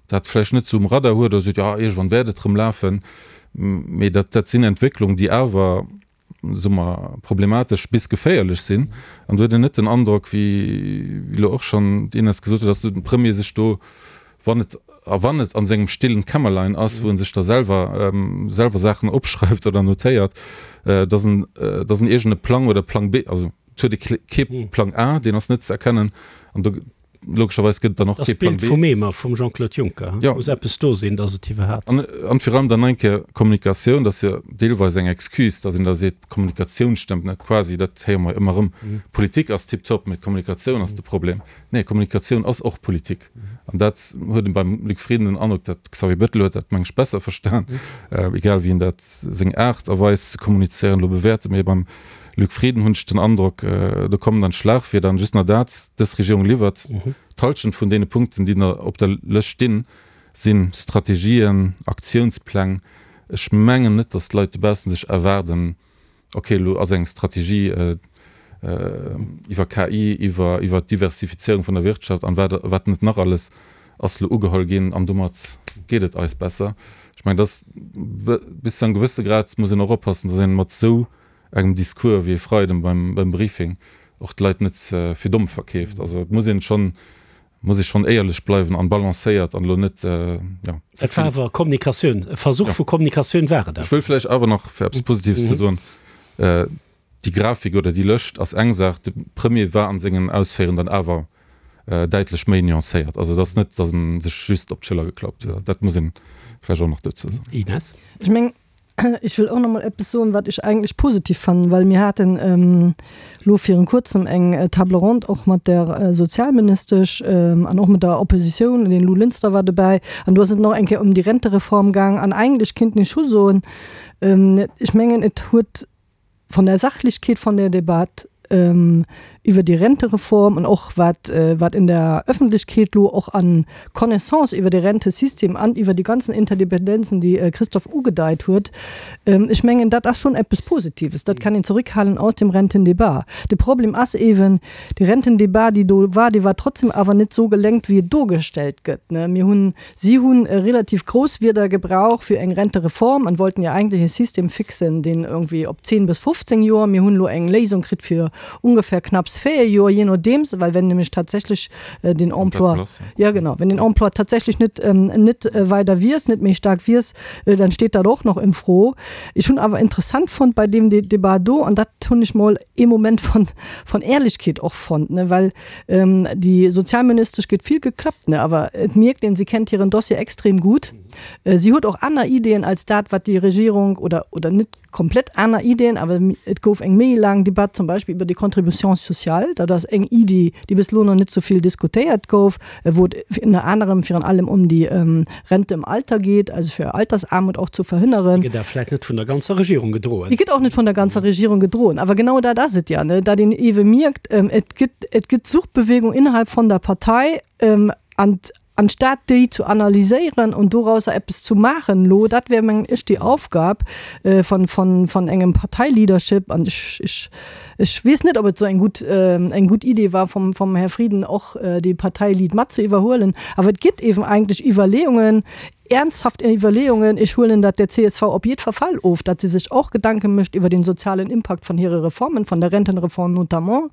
Speaker 5: dat vläicht net esou um Radar huet oder seet, jo, iergendwann wäert et erëm lafen. Mee dat, dat sinn Entwécklungen, déi awer, soe mer, problematesch bis geféierlech sinn. An do huet een net den Androck, wéi elo och schonn d'Ines gesot huet, datt de Premier sech do, wann et, a wann et an sengem stillen Kämmerlein ass, wou en sech da selwer, selwer Saachen opschreift oder notéiert, dass en, dass en iergend e Plang oder Plang B, also et huet e kee Plang A, deen ass net ze erkennen, an do logescherweis gëtt et dann och kee Plang B.
Speaker 4: Dat ass d'Bild vum Eemer vum Jean-Claude Juncker,
Speaker 5: Jo.
Speaker 4: Muss eppes do sinn, dass et iwwerhat.
Speaker 5: An, an virun allem dann eng Kéier Kommunikatioun, dat ass jo deelweis eng Excuse, dass een da seet, d'Kommunikatioun stëmmt net, quasi, dat héiere mer ëmmer erëm, Politik ass tiptop, mee d'Kommunikatioun ass de Problem. Nee, Kommunikatioun ass och Politik. An dat huet een beim Luc Frieden den Androck, dat Xavier Bettel huet dat, meng ech, besser verstan, egal wéi een dat seng Aart a Weis ze kommunizéieren elo bewäerte, mee beim Luc Frieden hunn ech den Androck, do kommen dann Schlagwierder an just nach dat, dës Regierung liwwert. D'Halschent vun deene Punkten, déi op der Lëscht stinn, si Strategien, Aktiounspläng. Ech mengen net, datt d'Leit dobaussen sech erwaarden, ok, elo ass eng Strategie iwwer K I, iwwer iwwer d'Diversifizierung vun der Wirtschaft an wat wat net nach alles ass elo ugeholl ginn an domat geet et eis besser. Ech mengen, dass bis zu engem gewësse Grad muss een och oppassen, dass een mat esou engem Discours wéi e Freiden beim beim Briefing och d'Leit net fir domm verkeeft. Also et muss een schonn muss ee schonn éierlech bleiwen an balancéiert an elo net, jo,
Speaker 4: ze Et war vill. awer Kommunikatioun, e Versuch vu Kommunikatioun war et
Speaker 5: Ech wëll
Speaker 4: awer.
Speaker 5: vläicht awer nach, fir eppes Positives ze soen, déi Grafik oder déi Lëscht ass eng Saach, de Premier war an sengen Ausféieren dann awer däitlech méi nuancéiert. Also et ass net, datt en sech just op d'Schëller geklappt huet. Dat muss ee vläicht och nach dozou soen.
Speaker 4: Ines.
Speaker 6: Ech mengen, ech wëll och nach mol eppes soen, wat ech eigentlech positiv fannen, well mir haten elo virun kuerzem eng Table ronde och mat der Sozialministesch an och mat der Oppositioun, den Lou Linster war dobäi, an do ass et nach eng Kéier ëm déi Rentereform gaang. An eigentlech kéint ech scho soen, ech mengen, et huet von der Sachlichkeit von der Debatte iwwer déi Rentereform an och wat wat in der Öffentlichkeet lo och an Connaissance iwwer de Rentesystem an iwwer déi ganzen Interdependenzen, déi Christophe ugedeit huet, ech mengen, dat ass schonn eppes Positives. Dat kann een zurückhalen aus dem Rentendebat. De Problem ass eeben, déi Rentendebat, déi do war, déi war trotzdem awer net esou gelenkt, wéi et dogestellt gëtt. Mir hunn, si hunn relativ grouss Wierder gebraucht fir eng Rentereform an wollten ja eigentlich e System fixen, deen irgendwie op zehn bis fofzéng Joer, mir hunn elo eng Léisung kritt fir ungefähr knapps véier Joer, je nodeems, well wenn nämlech tatsächlech den Emploi, ja genau, wenn den Emploi tatsächlech net, net weider wiisst, net méi staark wiisst, dann steet dat och nach in Fro. Ech hunn awer interessant fonnt bei deem Debat do, an dat hunn ech mol ee Moment von, von Ehrlichkeet och fonnt, ne, well déi Sozialministesch gëtt vill geklappt, ne, awer et mierkt een, si kennt hiren Dossier extrem gutt. Si huet och aner Ideeën als dat, wat déi Regierung, oder, oder net komplett aner Ideeën, awer et gouf eng méi laang Debatt zum Beispill iwwer déi Contribution sociale. Dat ass eng Iddi, déi bis elo nach net esou vill diskutéiert gouf, wou et ënner anerem virun allem ëm déi Rente im Alter geet, also fir Altersarmut och ze verhënneren.
Speaker 4: Déi gëtt awer vläicht net vun der ganzer Regierung gedroen.
Speaker 6: Déi gëtt och net vun der ganzer Regierung gedroen. Awer genau dat ass et ja, ne, datt een ewe mierkt, et gëtt, et gëtt Suchtbewegung innerhalb von der Partei an anstatt déi zu analyséieren und dorausser eppes zu maachen elo, dat wär mengen ech déi Aufgab von, von, von engem Parteileadership an ech, ech, ech weess net, ob et esou eng gutt, eng gutt Idee war vom, vom Här Frieden och dee Parteilead mat ze iwwerhuelen. Awer et gëtt eben eigentlech Iwwerleeungen, ernsthaft Iwwerleeungen, ech huelen dat der C S V op jiddwer Fall of, datt se sech och Gedanke mécht iwwer den sozialen Impakt von hire Reformen, von der Rentenreform notamment,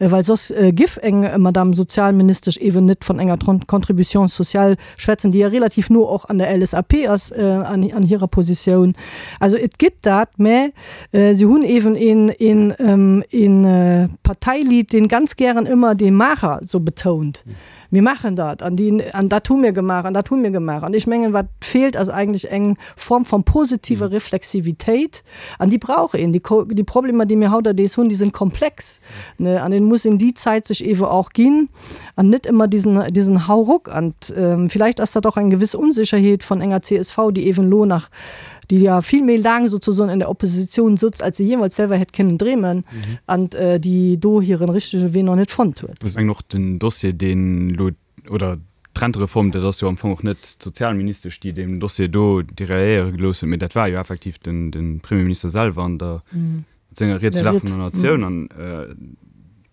Speaker 6: well soss giff eng Madame Sozialministesch eben net von enger Contribution sociale schwätzen, déi ja relativ no och an der L S A P ass, an, an hirer Positioun. Also et gëtt dat, mä si hunn eben een, een, een Parteilied, deen ganz gären ëmmer dee Maacher sou betount. Mir maachen dat an déi, an dat hu mir gemaach an dat hu mir gemaach. An ech mengen, wat feelt, ass eigentlech eng Form von positiver Reflexivitéit an déi brauch een. Déi, déi Problemer, déi mir hauterdés hunn, déi sinn komplex, ne, an een muss een déi Zäit sech ewe och ginn an net ëmmer diesen, diesen Hauruck. An vielleicht ass dat och eng gewëss Unsicherheet von enger C S V, déi ewen elo nach, déi ja vill méi laang sozusagen in der Opposition sutz, als se jeemals selwer hätt kënnen dreemen, an déi do hiren richtege Wee nach net fonnt huet.
Speaker 2: Ech mengen och den Dossier, deen elo, oder d'Rentereform, dat ass jo am Fong och net d'Sozialministesch, déi deem Dossier do derailléiere gelooss huet, mee dat war jo effektiv den, den Premierminister selwer an der, mat senger Ried zur Lag vun der Natioun. An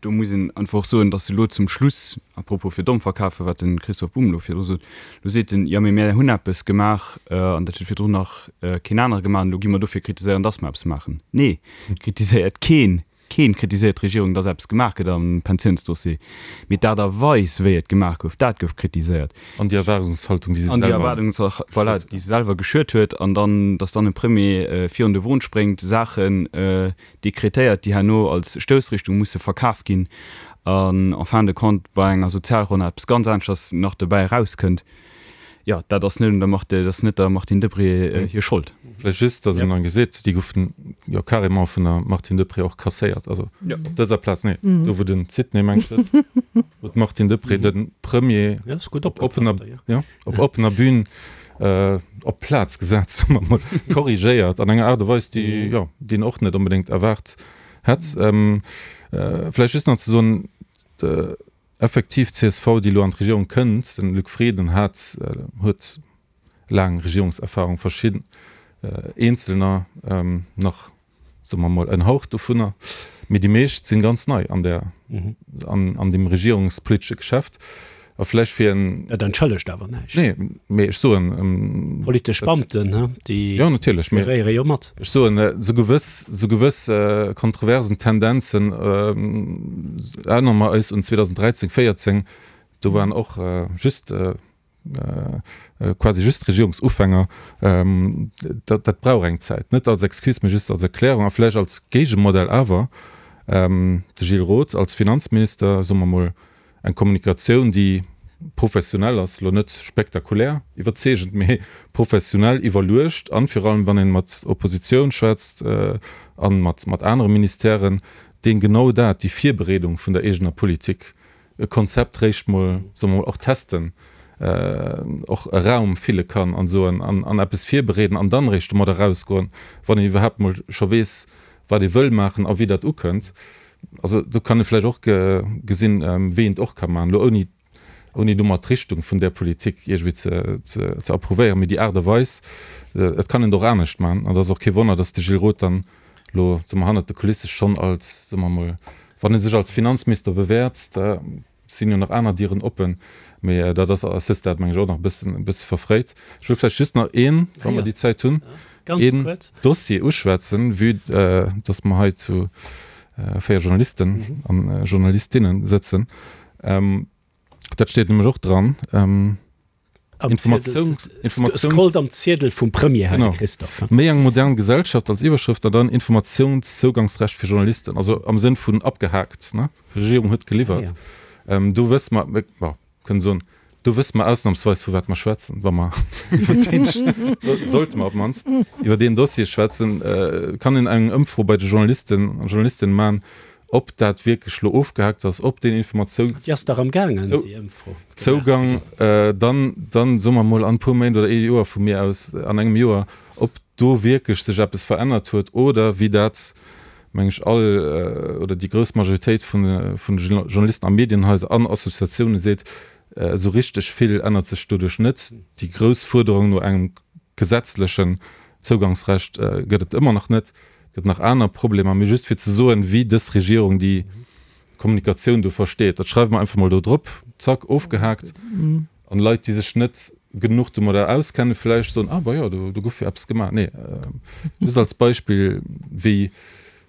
Speaker 2: do muss een einfach och soen, dass elo zum Schluss, à propos fir domm verkafen, wat de Christoph Bumb elo virdru sot, elo seet en, jo mee mär hunn eppes gemaach an dat huet virdrun nach keen anere gemaach an elo gi mer dofir kritiséieren, dass mer eppes maachen. Nee, kritiséiert keen, keen kritiséiert d'Regierung, dass eppes gemaach gëtt am Pensiounsdossier, mee d'Aart a Weis, wéi et gemaach gouf, dat gouf kritiséiert.
Speaker 5: An déi Erwaardungshaltung, déi se
Speaker 2: An déi
Speaker 5: selwer
Speaker 2: Erwaardungshaltung, voilà, déi se selwer geschürt huet, an dann, dass dann e Premier virun de Won spréngt, Saachen dekretéiert, déi herno als Stoussrichtung musse verkaf ginn an en fin de compte bei enger Sozialronn eppes ganz aneschters nach dobäi erauskënnt, jo, dat ass net un der Marthe, dat ass net der Martine Deprez hir Schold.
Speaker 5: Vläicht just, datt een dann gesäit, déi goufen jo carrément vun der Martine Deprez och kasséiert, also op dëser Plaz, nee, do wou den Sidney mengt sëtzt, wou d'Martine Deprez de Premier op oppener, jo, op oppener Bühn op d'Plaz gesat, soe mer mol, korrigéiert an enger Aart a Weis, déi, jo, déi een och net onbedéngt erwaart hätt. Vläicht just nach ze soen, effektiv C S V, déi elo an d'Regierung kënnt, den Luc Frieden hat, huet laang Regierungserfahrung, verschidden Eenzelner nach, soe mer mol, en Hauch dovunner, mee déi meescht sinn ganz nei an der, an, an dem regierungspolitesche Geschäft. A vläicht fir en.
Speaker 4: Dat entschëllegt awer näischt.
Speaker 5: Nee, mee ech soen.
Speaker 4: Politesch Beamten, he, déi
Speaker 5: Jo, natierlech, mee
Speaker 4: geréiere jo mat.
Speaker 5: Ech soen, esou gewëss, esou gewëss kontroversen Tendenzen, erënnere mer eis un zweedausenddräizéng, véierzéng, do waren och just, quasi just Regierungsufänger. Dat, dat brauch eng Zäit. Net als Excuse, mee just als Erklärung a vläicht als Géigemodell awer. De Gilles Roth als Finanzminister, soe mer mol, eng Kommunikatioun, déi professionell ass, elo net spektakulär iwwerzeegend, mee professionell iwwerluecht an virun allem, wann een mat Oppositioun schwätzt an mat, mat anere Ministèren, deen genau dat, déi Virbereedung vun der eegener Politik, e Konzept réischt mol, soe mer mol, och testen, och e Raum fille kann an soen an, an eppes virbereeden an dann réischt domat erausgoen, wann een iwwerhaapt mol scho weess, wat ee wëll maachen a wéi dat ukënnt. Also do kann ee vläicht och gesinn, wéi een et och ka maachen, elo ouni, ouni domat d'Richtung vun där Politik iergendwéi ze, ze, ze approuvéieren, mee déi Aart a Weis, et kann een et och anescht maachen. An et ass och kee Wonner, datt de Gilles Roth dann elo, soe mer, hannert de Kulisse schonn als, soe mer emol, wann e sech als Finanzminister bewäert, da sinn jo nach aner Dieren oppen, mee dat ass à ce stade, meng ech, och nach e bëssen, e bësse verfréit. Ech wëll vläicht just nach een, wa mer déi Zäit hunn, een Dossier uschwätzen, vue dass mer hei zu véier Journalisten an Journalistinnen sëtzen. Dat steet nämlech och dran.
Speaker 4: Informatiouns, Informatiouns, Scrollt am Ziedel vum Premier, Här Christophe.
Speaker 5: Méi eng modern Gesellschaft als Iwwerschrëft an dann Informationszougangsrecht fir Journalisten, also am Sënn vun abgehakt, ne? D'Regierung huet geliwwert. Do wësse mer, bon, kënnen soen, do wësse mer ausnamsweis vu wat mer schwätzen, wa mer iwwer deen, sollte mer op d'mannst iwwer deen Dossier schwätzen. Kann een eng Ëmfro bei de Journalisten a Journalistinnen maachen, ob dat wierklech elo ofgehakt ass, ob deen Informatiouns.
Speaker 4: Déi ass dach am gaangen, déi Ëmfro.
Speaker 5: Zougang dann, dann soe mer emol an e puer Méint oder ee Joer vu mir aus, an engem Joer, ob do wierklech sech eppes verännert huet oder wéi dat, meng ech, all oder déi grouss Majoritéit vun vun de Journalisten a Medienhaiser an Associatioune seet, esou richteg vill ännert sech doduerch net. Déi grouss Fuerderung no engem gesetzlechen Zougangsrecht gëtt et ëmmer nach net. Et gëtt nach aner Problemer, mee just fir ze soen, wéi dës Regierung déi Kommunikatioun do versteet. Dat schreiwe mer einfach mol do drop, zack, ofgehaakt. An Leit, déi sech net genuch domadder auskennen, vläicht soen, ah, bah jo, do gouf jo eppes gemaach. Nee, just als Beispill, wéi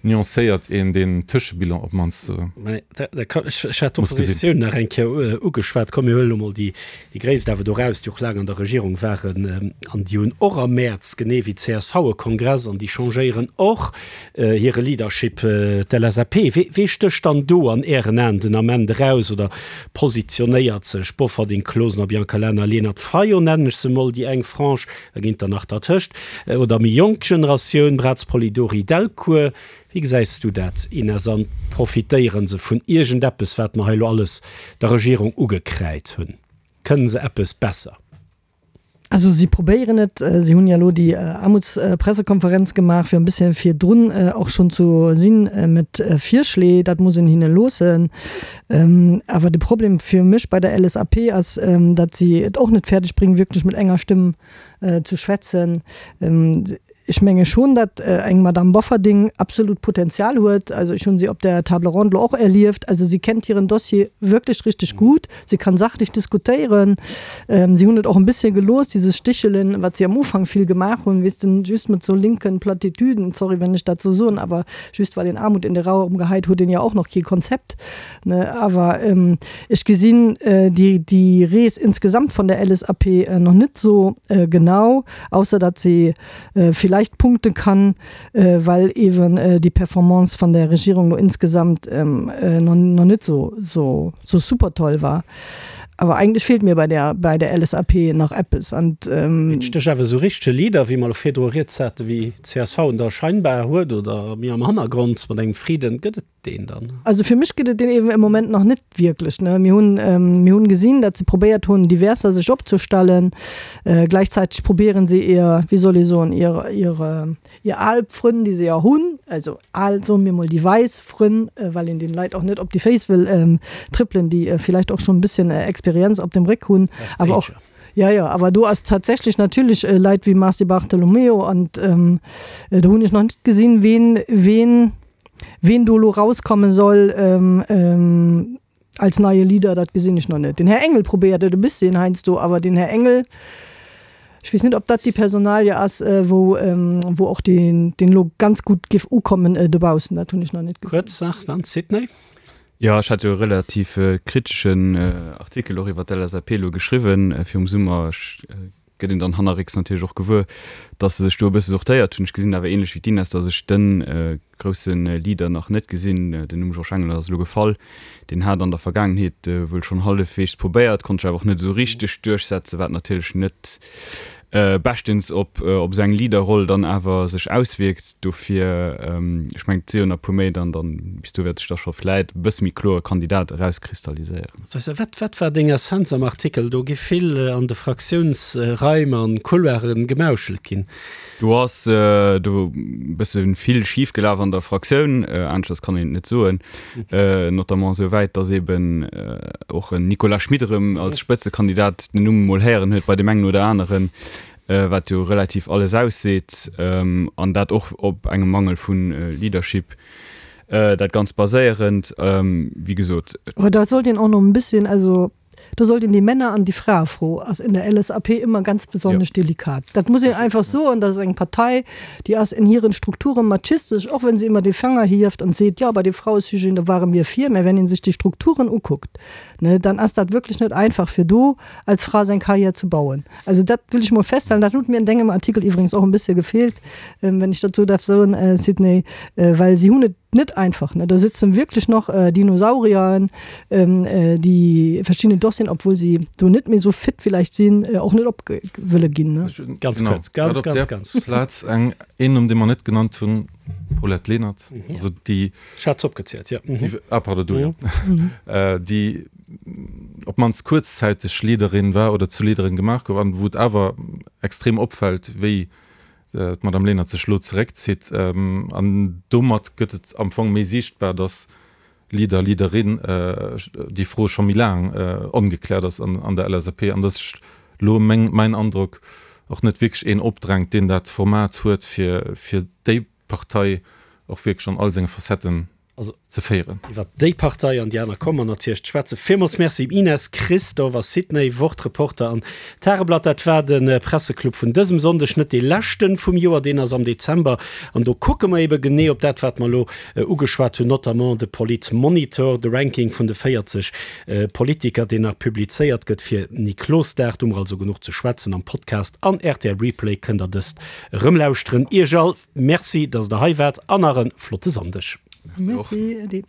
Speaker 5: nuancéiert een deen Tëschebilan op d'mannst
Speaker 4: Ech hat d'Oppositioun nach eng Kéier ugeschwat. Komm, mir huelen elo mol déi Gréisst awer do raus, déi och laang an der Regierung waren. An déi hunn och am Mäerz, genee wéi d'C S V, e Kongress an déi changéieren och hire Leadership, d'L S A P. Wee stécht dann do an Ären Aen den Ament eraus oder positionéiert sech? Bofferding, Closener, Biancalana, Lenert, Fayot nennen ech se mol, déi eng Frange, da ginn der nach dertëscht, oder méi jonk Generatioun, Braz, Polidori, Delcourt. Wéi gesäis du dat, Ines, an profitéiere se vun iergendeppes, wat mer hei elo alles der Regierung ugekräid hunn? Kënne se eppes besser?
Speaker 6: Also si probéieren et. Si hunn jo elo déi Aarmutspressekonferenz gemaach, fir e bësschen virdrun och schonn ze sinn mat Virschléi. Dat muss een hinne loossen. Awer de Problem fir mech bei der L S A P ass, datt si et och net fäerdeg bréngen, wierklech mat enger Stëmm ze schwätzen. Ech menge schon, datt eng Madame Bofferding absolut Potenzial huet. Also ech hunn si op der Table ronde och erlieft. Also si kennt hiren Dossier wierklech richteg gutt. Si kann sachlech diskutéieren. Si hunn et och e bëssche gelooss, dieses Stichelen, wat si am Ufank vill gemaach hunn, weess de, just mat sou linken Plattitüden, sorry, wenn ech dat sou soen, awer just well een Aarmut in de Raum geheit huet een jo och nach kee Konzept, ne. Awer ech gesinn déi, déi Rees insgesamt vun der L S A P nach net sou genau, ausser datt si villäicht punkte kann, well eeben déi Performance vun der Regierung lo insgesamt nach net sou, sou, sou super toll war. Awer eigentlech feelt mir bei der, bei der L S A P nach eppes. An
Speaker 4: Et stécht awer esou richtege Leader, wéi mer elo virdru rieds hate, wéi d'C S V en da scheinbar huet oder méi am Hannergrond mat engem Frieden, gëtt et deen dann?
Speaker 6: Also fir mech gëtt et deen eeben am Moment nach net wierklech, ne. Mir hunn, mir hunn gesinn, datt se probéiert hunn, diverser sech opzestellen. Gläichzäiteg probieren se ihr, wéi soll ee soen, ihr, ihre, ihr al Frënn, déi se jo hunn, also al, soe mir mol déi wäiss Frënn, well een den Leit och net op déi Féiss wëll trëppelen, déi villäicht och schonn e bësschen Experienz op dem Réck hunn. Awer och, ja, ja, awer do ass tatsächlech natierlech Leit wéi Mars Di Bartolomeo an do hunn ech nach net gesinn, ween, ween, ween do elo rauskomme soll als neie Leader, dat gesinn ech nach net. Den Här Engel probéiert et e bësschen heiansdo, awer den Här Engel, ech weess net, ob dat déi Personalie ass, wou, wou och deen, deen elo ganz gutt géif ukommen dobaussen, dat hunn ech nach net
Speaker 4: gesinn. Kuerz nach dann, Sidney.
Speaker 2: Jo, ech hat jo e relativ kriteschen Artikel och iwwer d'L S A P elo geschriwwen virum Summer. Ech gëtt een dann hannerrécks natierlech och gewuer, datt se sech do e bësse sortéiert hunn. Ech gesinn awer ähnlech wéi d'Ines, datt ech de grousse Leader nach net gesinn. Den Numm Georges Engel ass elo gefall. Deen hat an der Vergaangenheet wuel schonn hallefweegs probéiert, konnt sech awer och net esou richteg duerchsetzen, wat natierlech net beschtens op op esou eng Leaderroll dann awer sech auswierkt. Dofir, ech mengen, et si jo nach e puer Méint an dann bis do wäert sech da scho vläit e bësse méi kloer e Kandidat erauskristalliséieren.
Speaker 4: Wat wat war deng Essenz am Artikel? Do gi vill an de Fraktiounsraim an Couloiren gemauschelt ginn.
Speaker 2: Do ass do e bësse vill schif gelaf an der Fraktioun, aneschters kann een et net soen, notamment esou wäit, datt eeben och en Nicolas Schmit erëm als Spëtzekandidat den Numm emol héieren huet bei deem engen oder aneren, wat jo relativ alles ausseet, an dat och op engem Mangel vu Leadership dat Ganzt baséierend, wéi gesot.
Speaker 6: Aber da sollt een och nach en bisschen, also do sollt een die Männer an die Fraefro ass in der L S A P immer ganz besonnesch delikat. Dat muss een einfach soen, dat ass eng Partei, déi ass in hiren Strukturen machistesch, och wenn se immer de Fanger hieft an seet, jo bei de Frauesujeten, do ware mir vir, mä wenn een sech déi Strukturen ukuckt, ne, dann ass dat wierklech net einfach fir do als Fra seng Karriär zu bauen. Also dat will ech mol festhalen, dat huet mir an dengem Artikel iwwregens och en bësse gefeelt, wenn ech dat sou darf soen, Sidney, well si hunn et net einfach, ne. Do sitzen wierklech nach Dinosaurieren, déi verschidden Dossieren, obwuel si do net méi sou fit villäicht sinn, och net op wëlle ginn, ne.
Speaker 4: Ganz kuerz, ganz, ganz, ganz.
Speaker 5: Plaz eng, een Numm, dee mer net genannt hunn, Paulette Lenert, also déi.
Speaker 4: Ech hat se opgezielt, jo.
Speaker 5: Ah, pardon, du, jo. Déi op d'mannst kuerzzäiteg Leaderin war oder zur Leaderin gemaach gouf an wou et awer extrem opfält, wéi d'Madame Lenert sech elo zeréckzitt. An domat gëtt et am Fong méi siichtbar, datt Leader, Leaderin, déi Fro scho méi laang ongekläert ass an der L S A P an datt sech elo, meng, mäin Androck, och net wierklech een opdrängt, deen dat Format huet, fir, fir déi Partei och wierklech an all senge Facetten ze féieren.
Speaker 4: Iwwer déi Partei an déi aner komme mer natierlech ze schwätzen. Villmools Merci Ines, Christophe a Sidney, Wort-Reporter an Tageblatt. Dat war de Presseclub vun dësem Sonndeg, net dee leschten vum Joer, deen ass am Dezember. An do kucke mer ebe genee op dat, wat mer elo ugeschwat hunn, notamment de Politmonitor, de Ranking vun de véierzeg Politiker, deen nach publizéiert gëtt fir Niklosdag. Do hu mer also genuch ze schwätzen. Am Podcast an R T L Replay kënnt der dëst erëm lauschteren. Iech all Merci, dass der hei waart an nach e flotte Sonndeg.
Speaker 6: Merci, Edy.